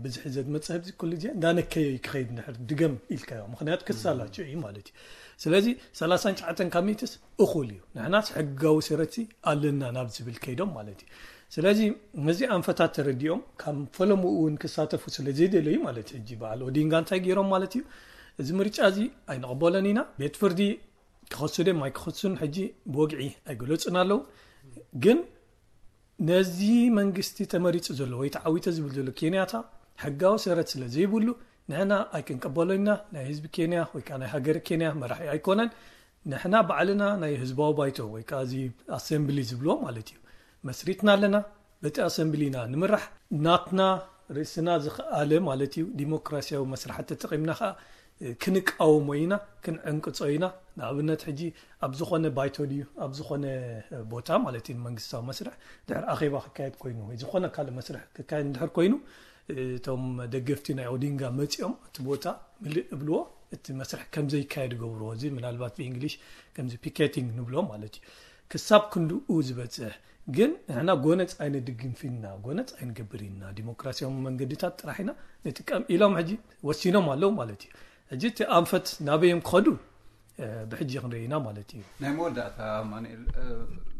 ብዝሒ ዘትመጽእ ህዝቢ ኩሉ ግዜ እንዳነከየ እዩ ክኸይድ እንድሕር ድገም ኢልካዮ። ምኽንያቱ ክሳላቸው እዩ ማለት እዩ። ስለዚ ሰላሳን ትሽዓተን ካብ ሚእትስ እኹል እዩ። ንሕናስ ሕጋዊ ሰረትሲ ኣለና ናብ ዝብል ከይዶም ማለት እዩ። ስለዚ ነዚ ኣንፈታት ተረዲኦም ካብ ፈለምኡ እውን ክሳተፉ ስለ ዘይደለዩ ማለት እዩ። ሕጂ በዓል ኦዲንጋ እንታይ ገይሮም ማለት እዩ? እዚ ምርጫ እዚ ኣይንቕበሎን ኢና። ቤት ፍርዲ ክኸሱ ድዮም ኣይክኸሱን ሕጂ ብወግዒ ኣይገለጹን ኣለዉ። ግን ነዚ መንግስቲ ተመሪጹ ዘሎ ወይ ተዓዊተ ዝብል ዘሎ ኬንያታ ሕጋዊ ሰረት ስለ ዘይብሉ ንሕና ኣይክንቀበሎን ኢና። ናይ ህዝቢ ኬንያ ወይ ከዓ ናይ ሃገር ኬንያ መራሒ ኣይኮነን። ንሕና ባዕልና ናይ ህዝባዊ ባይቶ ወይ ከዓ እዚ ኣሰምብሊ ዝብልዎ ማለት እዩ መስሪትና ኣለና። በቲ ኣሰምብሊ ኢና ንምራሕ። ናትና ርእስና ዝኸኣለ ማለት እዩ ዲሞክራሲያዊ መስርሓት ተጠቒምና ከዓ ክንቃወሞ ኢና፣ ክንዕንቅጾ ኢና። ንኣብነት ሕጂ ኣብ ዝኾነ ባይቶ ድዩ ኣብ ዝኾነ ቦታ ማለት እዩ መንግስታዊ መስርሕ ድሕር ኣኼባ ክካየድ ኮይኑ ወይ ዝኾነ ካልእ መስርሕ ክካየድ እንድሕር ኮይኑ እቶም ደገፍቲ ናይ ኦዲንጋ መጺኦም እቲ ቦታ ምልእ እብልዎ፣ እቲ መስርሕ ከም ዘይካየድ ገብርዎ። እዚ ምናልባት ብእንግሊሽ ከምዚ ፒኬቲንግ ንብሎ ማለት እዩ። ክሳብ ክንድኡ ዝበጽሕ ግን ንሕና ጎነጽ ኣይንድግፍን ኢና፣ ጎነጽ ኣይንገብርን ኢና፣ ዲሞክራሲያዊ መንገድታት ጥራሕ ኢና ንጥቀም ኢሎም ሕጂ ወሲኖም ኣለዉ ማለት እዩ። ሕጂ እቲ ኣንፈት ናበይ እዮም ክኸዱ፣ እ፣ ብሕጂ ክንርኢ ኢና ማለት እዩ። ናይ መወዳእታ ኣማኑኤል፣ እ፣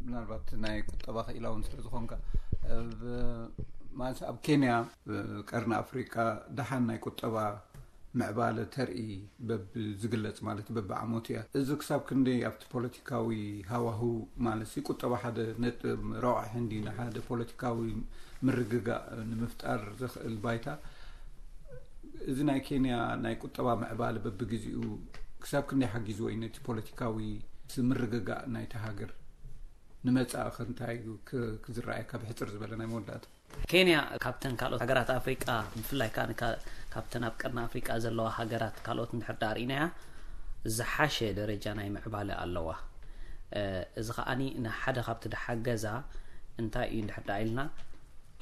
ምናልባት ናይ ቁጠባ ክኢላ እውን ስለ ዝኾንካ፣ እ፣ ብ-፣ ማለት ኣብ ኬንያ፣ እ፣ ቀርኒ ኣፍሪቃ ደሓን ናይ ቁጠባ ምዕባለ ተርኢ በብ ዝግለጽ ማለት በብዓመቱ እያ። እዚ ክሳብ ክንደይ ኣብቲ ፖለቲካዊ ሃዋህው ማለት ሲ ቁጠባ ሓደ ነጥ-፣ ረቑሒ እንዲ ንሓደ ፖለቲካዊ ምርግጋእ ንምፍጣር ዘኽእል ባይታ እዚ ናይ ኬንያ ናይ ቁጠባ ምዕባለ በብግዜኡ ክሳብ ክንደይ ሓጊዝዎ እዩ ነቲ ፖለቲካዊ ምርግጋእ ናይቲ ሃገር ንመጻኢ ከ እንታይ እዩ ክ-፣ ክዝረኣየካ ብሕጽር ዝበለ ናይ መወዳእታ? ኬንያ ካብተን ካልኦት ሃገራት ኣፍሪቃ ብፍላይ ከኣ ንካ-፣ ካብተን ኣብ ቀርኒ ኣፍሪቃ ዘለዋ ሃገራት ካልኦት እንድሕር ደኣ ርኢናያ ዝሓሸ ደረጃ ናይ ምዕባለ ኣለዋ። እ፣ እዚ ከኣኒ ንሓደ ካብቲ ድሓገዛ እንታይ እዩ እንድሕር ደኣ ኢልና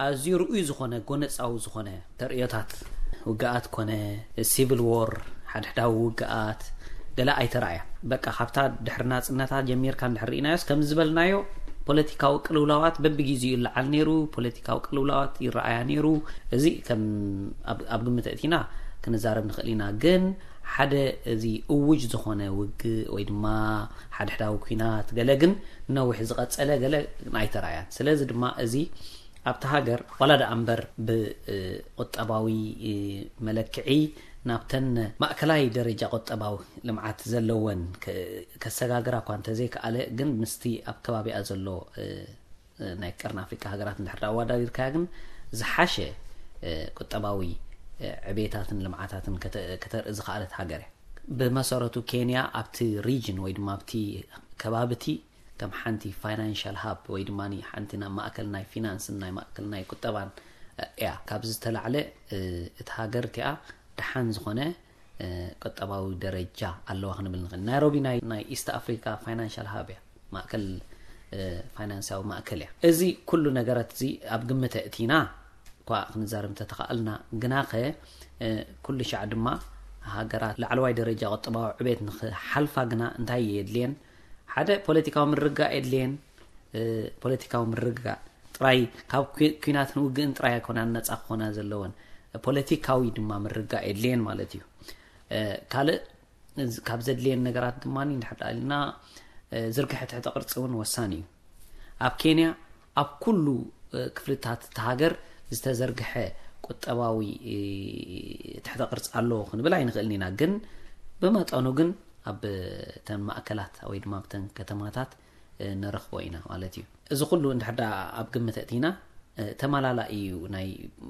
ኣዝዩ ርኡይ ዝኾነ ጎነጻዊ ዝኾነ ተርእዮታት ውግኣት ኮነ ሲቪል ዎር ሓድሕዳዊ ውግኣት ገለ ኣይተራእያ። በቃ ካብታ ድሕሪ ናጽነታ ጀሚርካ እንድሕር ርኢናዮስ ከም ዝበልናዮ ፖለቲካዊ ቅልውላዋት በብግዜኡ ይለዓል ነይሩ፣ ፖለቲካዊ ቅልውላዋት ይረኣያ ነይሩ። እዚ ከም ኣብ፣ ኣብ ግምት እቲና ክንዛረብ ንኽእል ኢና። ግን ሓደ እዚ እውጅ ዝኾነ ውግእ ወይ ድማ ሓድሕዳዊ ኲናት ገለ ግን ነዊሕ ዝቐጸለ ገለ ኣይተራእያን። ስለዚ ድማ እዚ ኣብቲ ሃገር ዋላ ደኣ እምበር ብቁጠባዊ መለክዒ ናብተን ማእከላይ ደረጃ ቁጠባዊ ልምዓት ዘለወን ከ-፣ ከሰጋግራ እኳ እንተዘይከኣለ ግን ምስቲ ኣብ ከባቢኣ ዘሎ ናይ ቀርኒ ኣፍሪቃ ሃገራት እንድሕር ኣወዳዲርካያ ግን ዝሓሸ ቁጠባዊ ዕቤታትን ልምዓታትን ከተ-፣ ከተርኢ ዝኸኣለት ሃገር እያ። ብመሰረቱ ኬንያ ኣብቲ ሪጅን ወይ ድማ ኣብቲ ከባቢ እቲ ከም ሓንቲ ፋይናንሻል ሃብ ወይ ድማ ሓንቲ ናይ ማእከል ናይ ፊናንስን ናይ ማእከል ናይ ቁጠባን እያ። ካብዚ ዝተላዕለ እቲ ሃገር እቲኣ ደሓን ዝኾነ ቁጠባዊ ደረጃ ኣለዋ ክንብል ንኽእል። ናይሮቢ ናይ፣ ናይ ኢስት ኣፍሪካ ፋይናንሻል ሃብ እያ፣ ማእከል፣ ፋይናንሳዊ ማእከል እያ። እዚ ኩሉ ነገራት እዚ ኣብ ግምት ኣእቲና እኳ ክንዛረብ እንተተኻእልና፣ ግናኸ ኩሉ ሻዕ ድማ ሃገራት ላዕለዋይ ደረጃ ቁጠባዊ ዕቤት ንኽሓልፋ ግና እንታይ የድልየን? ሓደ ፖለቲካዊ ምርግጋእ የድልየን። ፖለቲካዊ ምርግጋእ ጥራይ ካብ ኩናትን ውግእን ጥራይ ኣይኮናን ነፃ ክኾና ዘለወን፣ ፖለቲካዊ ድማ ምርግጋእ የድልየን ማለት እዩ። ካልእ ካብ ዘድልየን ነገራት ድማ እንድሕር ኢልና ዝርግሐ ትሕተ ቅርፂ እውን ወሳኒ እዩ። ኣብ ኬንያ ኣብ ኩሉ ክፍልታት እቲ ሃገር ዝተዘርግሐ ቁጠባዊ ትሕተ ቅርፂ ኣለዎ ክንብል ኣይንኽእልን ኢና። ግን ብመጠኑ ግን ኣብ ተን ማእከላት ወይ ድማ ኣብተን ከተማታት ንረኽቦ ኢና ማለት እዩ። እዚ ኩሉ እንድሕር ደኣ ኣብ ግምት ኣእቲና ተመላላኢ እዩ። ናይ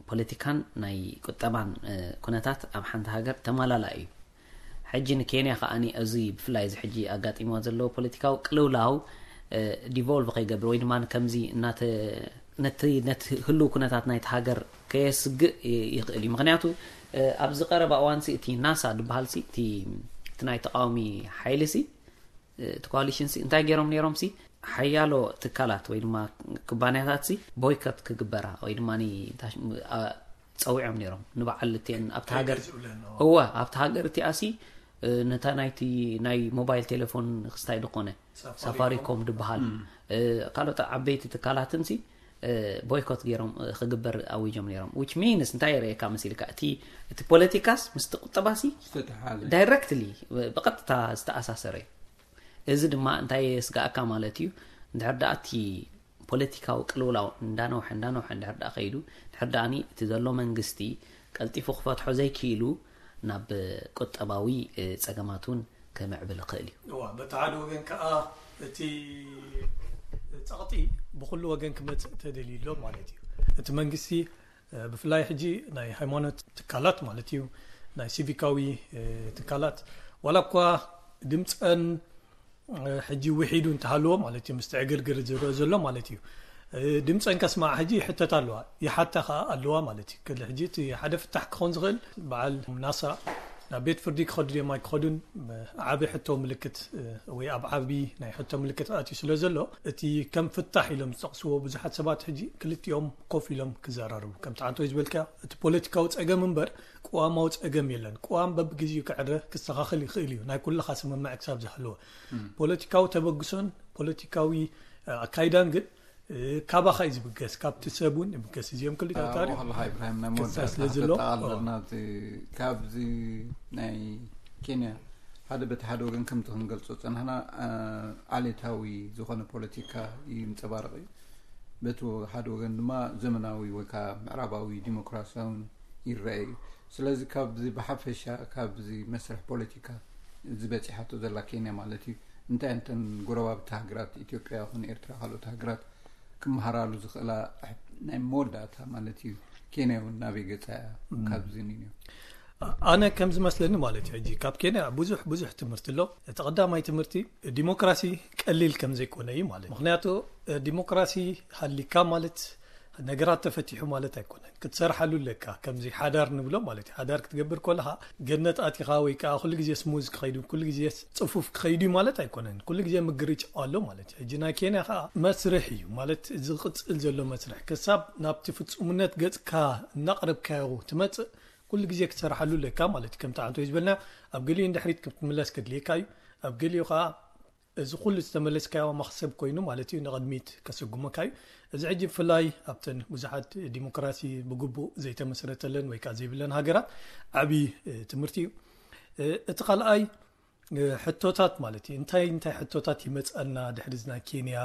ፖለቲካን ናይ ቁጠባን ኩነታት ኣብ ሓንቲ ሃገር ተመላላኢ እዩ። ሕጂ ንኬንያ ከኣ እዚ ብፍላይ እዚ ሕጂ ኣጋጢሞ ዘለዎ ፖለቲካዊ ቅልውላው ዲቮልቭ ከይገብር ወይ ድማ ከምዚ እናተ ነቲ ነቲ ህልው ኩነታት ናይቲ ሃገር ከየስግእ ይኽእል እዩ። ምክንያቱ ኣብዚ ቀረባ እዋንሲ እቲ ናሳ ዝበሃል ሲ እቲ ናይ ተቃዋሚ ሓይሊ ሲ እቲ ኮሊሽን ሲ እንታይ ገይሮም ነይሮም ሲ ሓያሎ ትካላት ወይ ድማ ኩባንያታት ሲ ቦይኮት ክግበራ ወይ ድማ ጸዊዖም ነይሮም ንበዓል እቲአን ኣብቲ ሃገር እወ ኣብቲ ሃገር እቲኣ ሲ ነታ ናይቲ ናይ ሞባይል ቴሌፎን ክስታይ ዝኾነ ሳፋሪኮም ዝበሃል ካልኦት ዓበይቲ ትካላትን ሲ ቦይኮት ገይሮም ክግበር ኣዊጆም ነይሮም። ዊች ሚንስ እንታይ የርእየካ መሲልካ እቲ እቲ ፖለቲካስ ምስቲ ቁጠባሲ ዳይረክትሊ ብቐጥታ ዝተኣሳሰረ እዩ። እዚ ድማ እንታይ የስጋእካ ማለት እዩ? እንድሕር ደኣ እቲ ፖለቲካዊ ቅልውላው እንዳነውሐ እንዳነውሐ እንድሕር ደኣ ከይዱ እንድሕር ደኣኒ እቲ ዘሎ መንግስቲ ቀልጢፉ ክፈትሖ ዘይክኢሉ ናብ ቁጠባዊ ጸገማት እውን ክምዕብል ይኽእል እዩ። እዋ በቲ ሓደ ወገን ከዓ እቲ ጸቕጢ ብኩሉ ወገን ክመፅእ ተደልዩ ኣሎ ማለት እዩ። እቲ መንግስቲ ብፍላይ ሕጂ ናይ ሃይማኖት ትካላት ማለት እዩ ናይ ሲቪካዊ ትካላት ዋላ እኳ ድምፀን ሕጂ ውሒዱ እንተሃለዎ ማለት እዩ ምስቲ ዕግርግር ዝረአ ዘሎ ማለት እዩ ድምፀን ከስማዕ ሕጂ ይሕተት ኣለዋ ይሓታ ከዓ ኣለዋ ማለት እዩ ክል ሕጂ እቲ ሓደ ፍታሕ ክኸውን ዝኽእል በዓል ናሳ ናብ ቤት ፍርዲ ክኸዱ ድዮም ኣይክኸዱን ዓቢ ሕቶ ምልክት ወይ ኣብ ዓቢ ናይ ሕቶ ምልክት ኣትዩ ስለ ዘሎ እቲ ከም ፍታሕ ኢሎም ዝጠቕስዎ ብዙሓት ሰባት ሕጂ ክልቲኦም ኮፍ ኢሎም ክዘራርቡ ከምቲ ዓንቶ ዝበልካ እቲ ፖለቲካዊ ጸገም እምበር ቅዋማዊ ጸገም የለን። ቅዋም በብግዜኡ ክዕረ ክስተኻኸል ይኽእል እዩ ናይ ኩልኻ ስምምዕ ክሳብ ዝሃለወ ፖለቲካዊ ተበግሶን ፖለቲካዊ ኣካይዳን ግን ካባኻ እዩ ዝብገስ ካብቲ ሰብ እውን ይብገስ እዚኦም ክልተ ታሪክ ዋላ ኢብራሂም ናይ መወዳእታ ስለ ዘሎ ክተጠቓልል ናብዚ ካብዚ ናይ ኬንያ ሓደ በቲ ሓደ ወገን ከምቲ ክንገልጾ ጸናሕና ዓሌታዊ ዝኾነ ፖለቲካ ይንጸባረቕ እዩ። በቲ ሓደ ወገን ድማ ዘመናዊ ወይ ከዓ ምዕራባዊ ዲሞክራሲያውን ይረአ እዩ። ስለዚ ካብዚ ብሓፈሻ ካብዚ መስርሕ ፖለቲካ እዚ በፂሓቶ ዘላ ኬንያ ማለት እዩ እንታይ እንተን ጎረባብቲ ሃገራት ኢትዮጵያ ይኹን ኤርትራ ካልኦት ሃገራት ክመሃራሉ ዝኽእላ ናይ መወዳእታ ማለት እዩ። ኬንያ እውን ናበይ ገፃ እያ ካብዚ ንንዮ? ኣነ ከም ዝመስለኒ ማለት እዩ ሕጂ ካብ ኬንያ ብዙሕ ብዙሕ ትምህርቲ ኣሎ። እቲ ቀዳማይ ትምህርቲ ዲሞክራሲ ቀሊል ከም ዘይኮነ እዩ ማለት ምክንያቱ ዲሞክራሲ ሃሊካ ማለት ነገራት ተፈቲሑ ማለት ኣይኮነን ክትሰርሓሉ ኣለካ ከምዚ ሓዳር ንብሎ ማለት እዩ ሓዳር ክትገብር ከለካ ገነት ኣቲኻ ወይ ከዓ ኩሉ ግዜ ስሙዝ ክኸይዱ ኩሉ ግዜ ፅፉፍ ክኸይዱ ማለት ኣይኮነን ኩሉ ግዜ ምግርጭ ኣሎ ማለት እዩ ሕጂ ናይ ኬንያ ከዓ መስርሕ እዩ ማለት ዝቕፅል ዘሎ መስርሕ ክሳብ ናብቲ ፍፁምነት ገፅካ እናቕረብካዮ ትመፅእ ኩሉ ግዜ ክትሰርሓሉ ኣለካ ማለት እዩ ከምቲ ዓንቶ ዝበልና ኣብ ገሊኡ ንድሕሪት ክትምለስ ከድልየካ እዩ ኣብ ገሊኡ ከዓ እዚ ኩሉ ዝተመለስካዮ መኽሰብ ኮይኑ ማለት እዩ ንቕድሚት ከስጉመካ እዩ እዚ ሕጂ ብፍላይ ኣብተን ብዙሓት ዲሞክራሲ ብግቡእ ዘይተመስረተለን ወይ ከዓ ዘይብለን ሃገራት ዓብዪ ትምህርቲ እዩ እቲ ካልኣይ ሕቶታት ማለት እዩ እንታይ እንታይ ሕቶታት ይመፀና ድሕሪ ናይ ኬንያ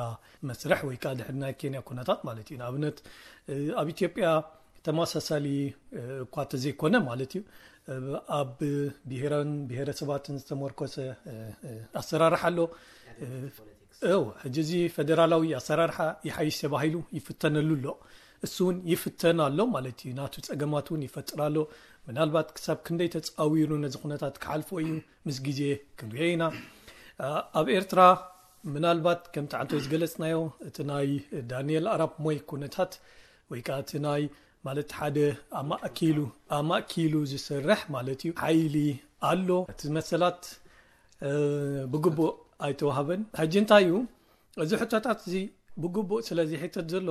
መስርሕ ወይ ከዓ ድሕሪ ናይ ኬንያ ኩነታት ማለት እዩ ንኣብነት ኣብ ኢትዮጵያ ተመሳሳሊ እኳ ተዘይኮነ ማለት እዩ ኣብ ብሄራን ብሄረሰባትን ዝተመርኮሰ ኣሰራርሓ ኣሎ እው ሕጂ እዚ ፈደራላዊ ኣሰራርሓ ይሓይሽ ተባሂሉ ይፍተነሉ ኣሎ እሱ እውን ይፍተን ኣሎ ማለት እዩ ናቱ ፀገማት እውን ይፈጥር ኣሎ ምናልባት ክሳብ ክንደይ ተፃዊሩ ነዚ ኩነታት ክሓልፎ እዩ ምስ ግዜ ክንሪኦ ኢና ኣብ ኤርትራ ምናልባት ከምቲ ዓንቶ ዝገለፅናዮ እቲ ናይ ዳንኤል ኣራፕ ሞይ ኩነታት ወይ ከዓ እቲ ናይ ማለት ሓደ ኣማእኪሉ ኣማእኪሉ ዝሰርሕ ማለት እዩ ሓይሊ ኣሎ እቲ መሰላት ብግቡእ ኣይተዋህበን ሕጂ እንታይ እዩ እዚ ሕቶታት እዚ ብግቡእ ስለ ዝሕተት ዘሎ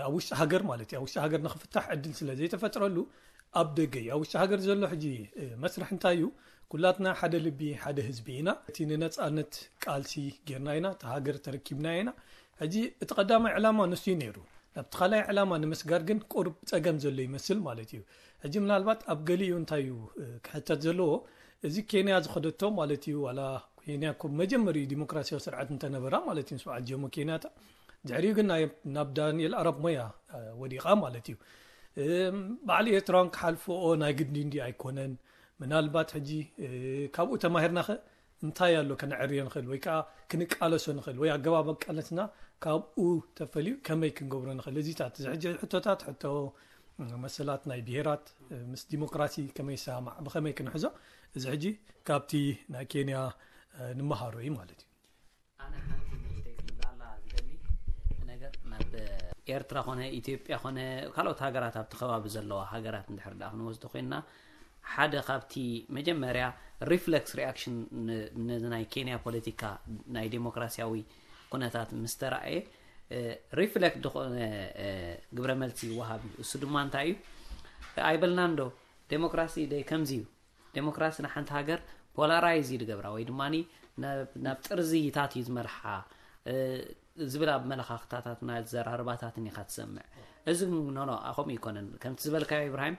ኣብ ውሽጢ ሃገር ማለት እዩ ኣብ ውሽጢ ሃገር ንክፍታሕ ዕድል ስለ ዘይተፈጥረሉ ኣብ ደገ እዩ። ኣብ ውሽጢ ሃገር ዘሎ ሕጂ መስርሕ እንታይ እዩ? ኩላትና ሓደ ልቢ ሓደ ህዝቢ ኢና። እቲ ንነፃነት ቃልሲ ጌርና ኢና፣ እቲ ሃገር ተረኪብና ኢና። ሕጂ እቲ ቀዳማይ ዕላማ ንሱ እዩ ነይሩ። ናብቲ ካልኣይ ዕላማ ንምስጋር ግን ቁሩብ ፀገም ዘሎ ይመስል ማለት እዩ። ሕጂ ምናልባት ኣብ ገሊኡ እንታይ እዩ ክሕተት ዘለዎ? እዚ ኬንያ ዝኸደቶ ማለት እዩ፣ ዋላ ኬንያ እኮ መጀመሪኡ ዲሞክራሲያዊ ስርዓት እንተነበራ ማለት እዩ፣ ስብዓት ጀሞ ኬንያታ፣ ድሕሪኡ ግን ናብ ዳንኤል ኣራፕ ሞይ ወዲቓ ማለት እዩ። ባዕሊ ኤርትራውን ክሓልፍኦ ናይ ግዲ እንዲ ኣይኮነን። ምናልባት ሕጂ ካብኡ ተማሂርናኸ እንታይ ኣሎ ከነዕርዮ ንኽእል ወይ ከዓ ክንቃለሶ ንኽእል ወይ ኣገባብ ኣቃለስና ካብኡ ተፈልዩ ከመይ ክንገብሮ ንኽእል? እዚታት እዚ ሕጂ ሕቶታት ሕቶ መሰላት ናይ ብሄራት ምስ ዲሞክራሲ ከመይ ይሰማማዕ ብኸመይ ክንሕዞ፣ እዚ ሕጂ ካብቲ ናይ ኬንያ ንምሃሮ እዩ ማለት እዩ። ኣነ ሓንቲ ንእሽተይ ክብላላ ዝደሊ ነገር ናብ ኤርትራ ኮነ ኢትዮጵያ ኮነ ካልኦት ሃገራት ኣብቲ ከባቢ ዘለዋ ሃገራት እንድሕር ደኣ ክንወስዶ ኮይንና ሓደ ካብቲ መጀመርያ reflex reaction ነዚ ናይ ኬንያ ፖለቲካ ናይ ዴሞክራሲያዊ ኩነታት ምስ ተራእየ reflect ዝኾነ ግብረ መልሲ ይወሃብ እዩ። እሱ ድማ እንታይ እዩ? ኣይበልናን ዶ ዴሞክራሲ ደይ ከምዚ እዩ? ዴሞክራሲ ንሓንቲ ሃገር polarized ይገብራ ወይ ድማ ናብ ጥርዝይታት እዩ ዝመርሓ ዝብል ኣብ መለኻኽታታትን ኣዘራርባታትን ኢኻ ትሰምዕ። እዚ ኖኖ ከምኡ ይኮነን። ከምቲ ዝበልካዮ ኢብራሂም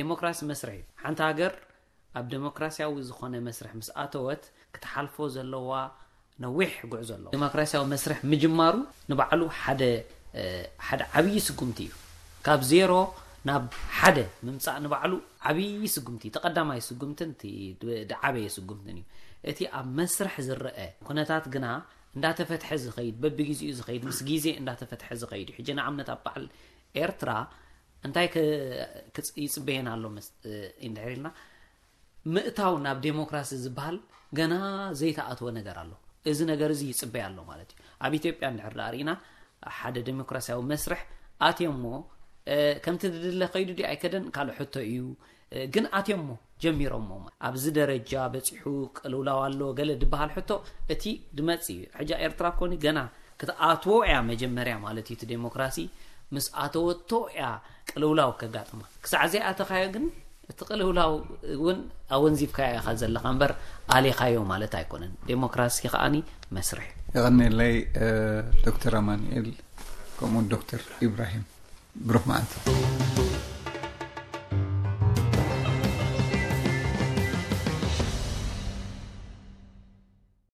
ዴሞክራሲ መስርሕ እዩ። ሓንቲ ሃገር ኣብ ዴሞክራሲያዊ ዝኾነ መስርሕ ምስ ኣተወት ክትሓልፎ ዘለዋ ነዊሕ ጉዕዞ ኣለዎ። ዴሞክራሲያዊ መስርሕ ምጅማሩ ንባዕሉ ሓደ ሓደ ዓብዪ ስጉምቲ እዩ። ካብ ዜሮ ናብ ሓደ ምምፃእ ንባዕሉ ዓብዪ ስጉምቲ እዩ። ተቐዳማይ ስጉምትን እቲ ዝዓበየ ስጉምትን እዩ። እቲ ኣብ መስርሕ ዝረአ ኩነታት ግና እንዳተፈትሐ ዝኸይድ፣ በብግዜኡ ዝኸይድ፣ ምስ ግዜ እንዳተፈትሐ ዝኸይድ እዩ። ሕጂ ንኣብነት ኣብ በዓል ኤርትራ እንታይ ይፅበየና ኣሎ እንድሕር ኢልና ምእታው ናብ ዴሞክራሲ ዝበሃል ገና ዘይተኣትወ ነገር ኣሎ። እዚ ነገር እዚ ይፅበይ ኣሎ ማለት እዩ። ኣብ ኢትዮጵያ እንድሕር ደኣ ርኢና ሓደ ዴሞክራሲያዊ መስርሕ ኣትዮሞ ከምቲ ዝድለ ከይዱ ዲ ኣይከደን ካልእ ሕቶ እዩ። ግን ኣትዮሞ ጀሚሮሞ ኣብዚ ደረጃ በፂሑ ቅልውላው ኣሎ ገለ ዝበሃል ሕቶ እቲ ድመፅ እዩ። ሕጃ ኤርትራ ኮኒ ገና ክትኣትዎ እያ መጀመርያ ማለት እዩ። እቲ ዴሞክራሲ ምስ ኣተወቶ እያ ቅልውላው ከጋጥማ። ክሳዕ ዘይኣተኻዮ ግን እቲ ቅልውላው እውን ኣወንዚፍካዮ ኢኻ ዘለኻ እምበር ኣሊኻዮ ማለት ኣይኮነን። ዴሞክራሲ ከዓኒ መስርሕ እዩ። የቐንየለይ ዶክተር ኣማኑኤል ከምኡ ዶክተር ኢብራሂም። ብሩኽ መዓልቲ።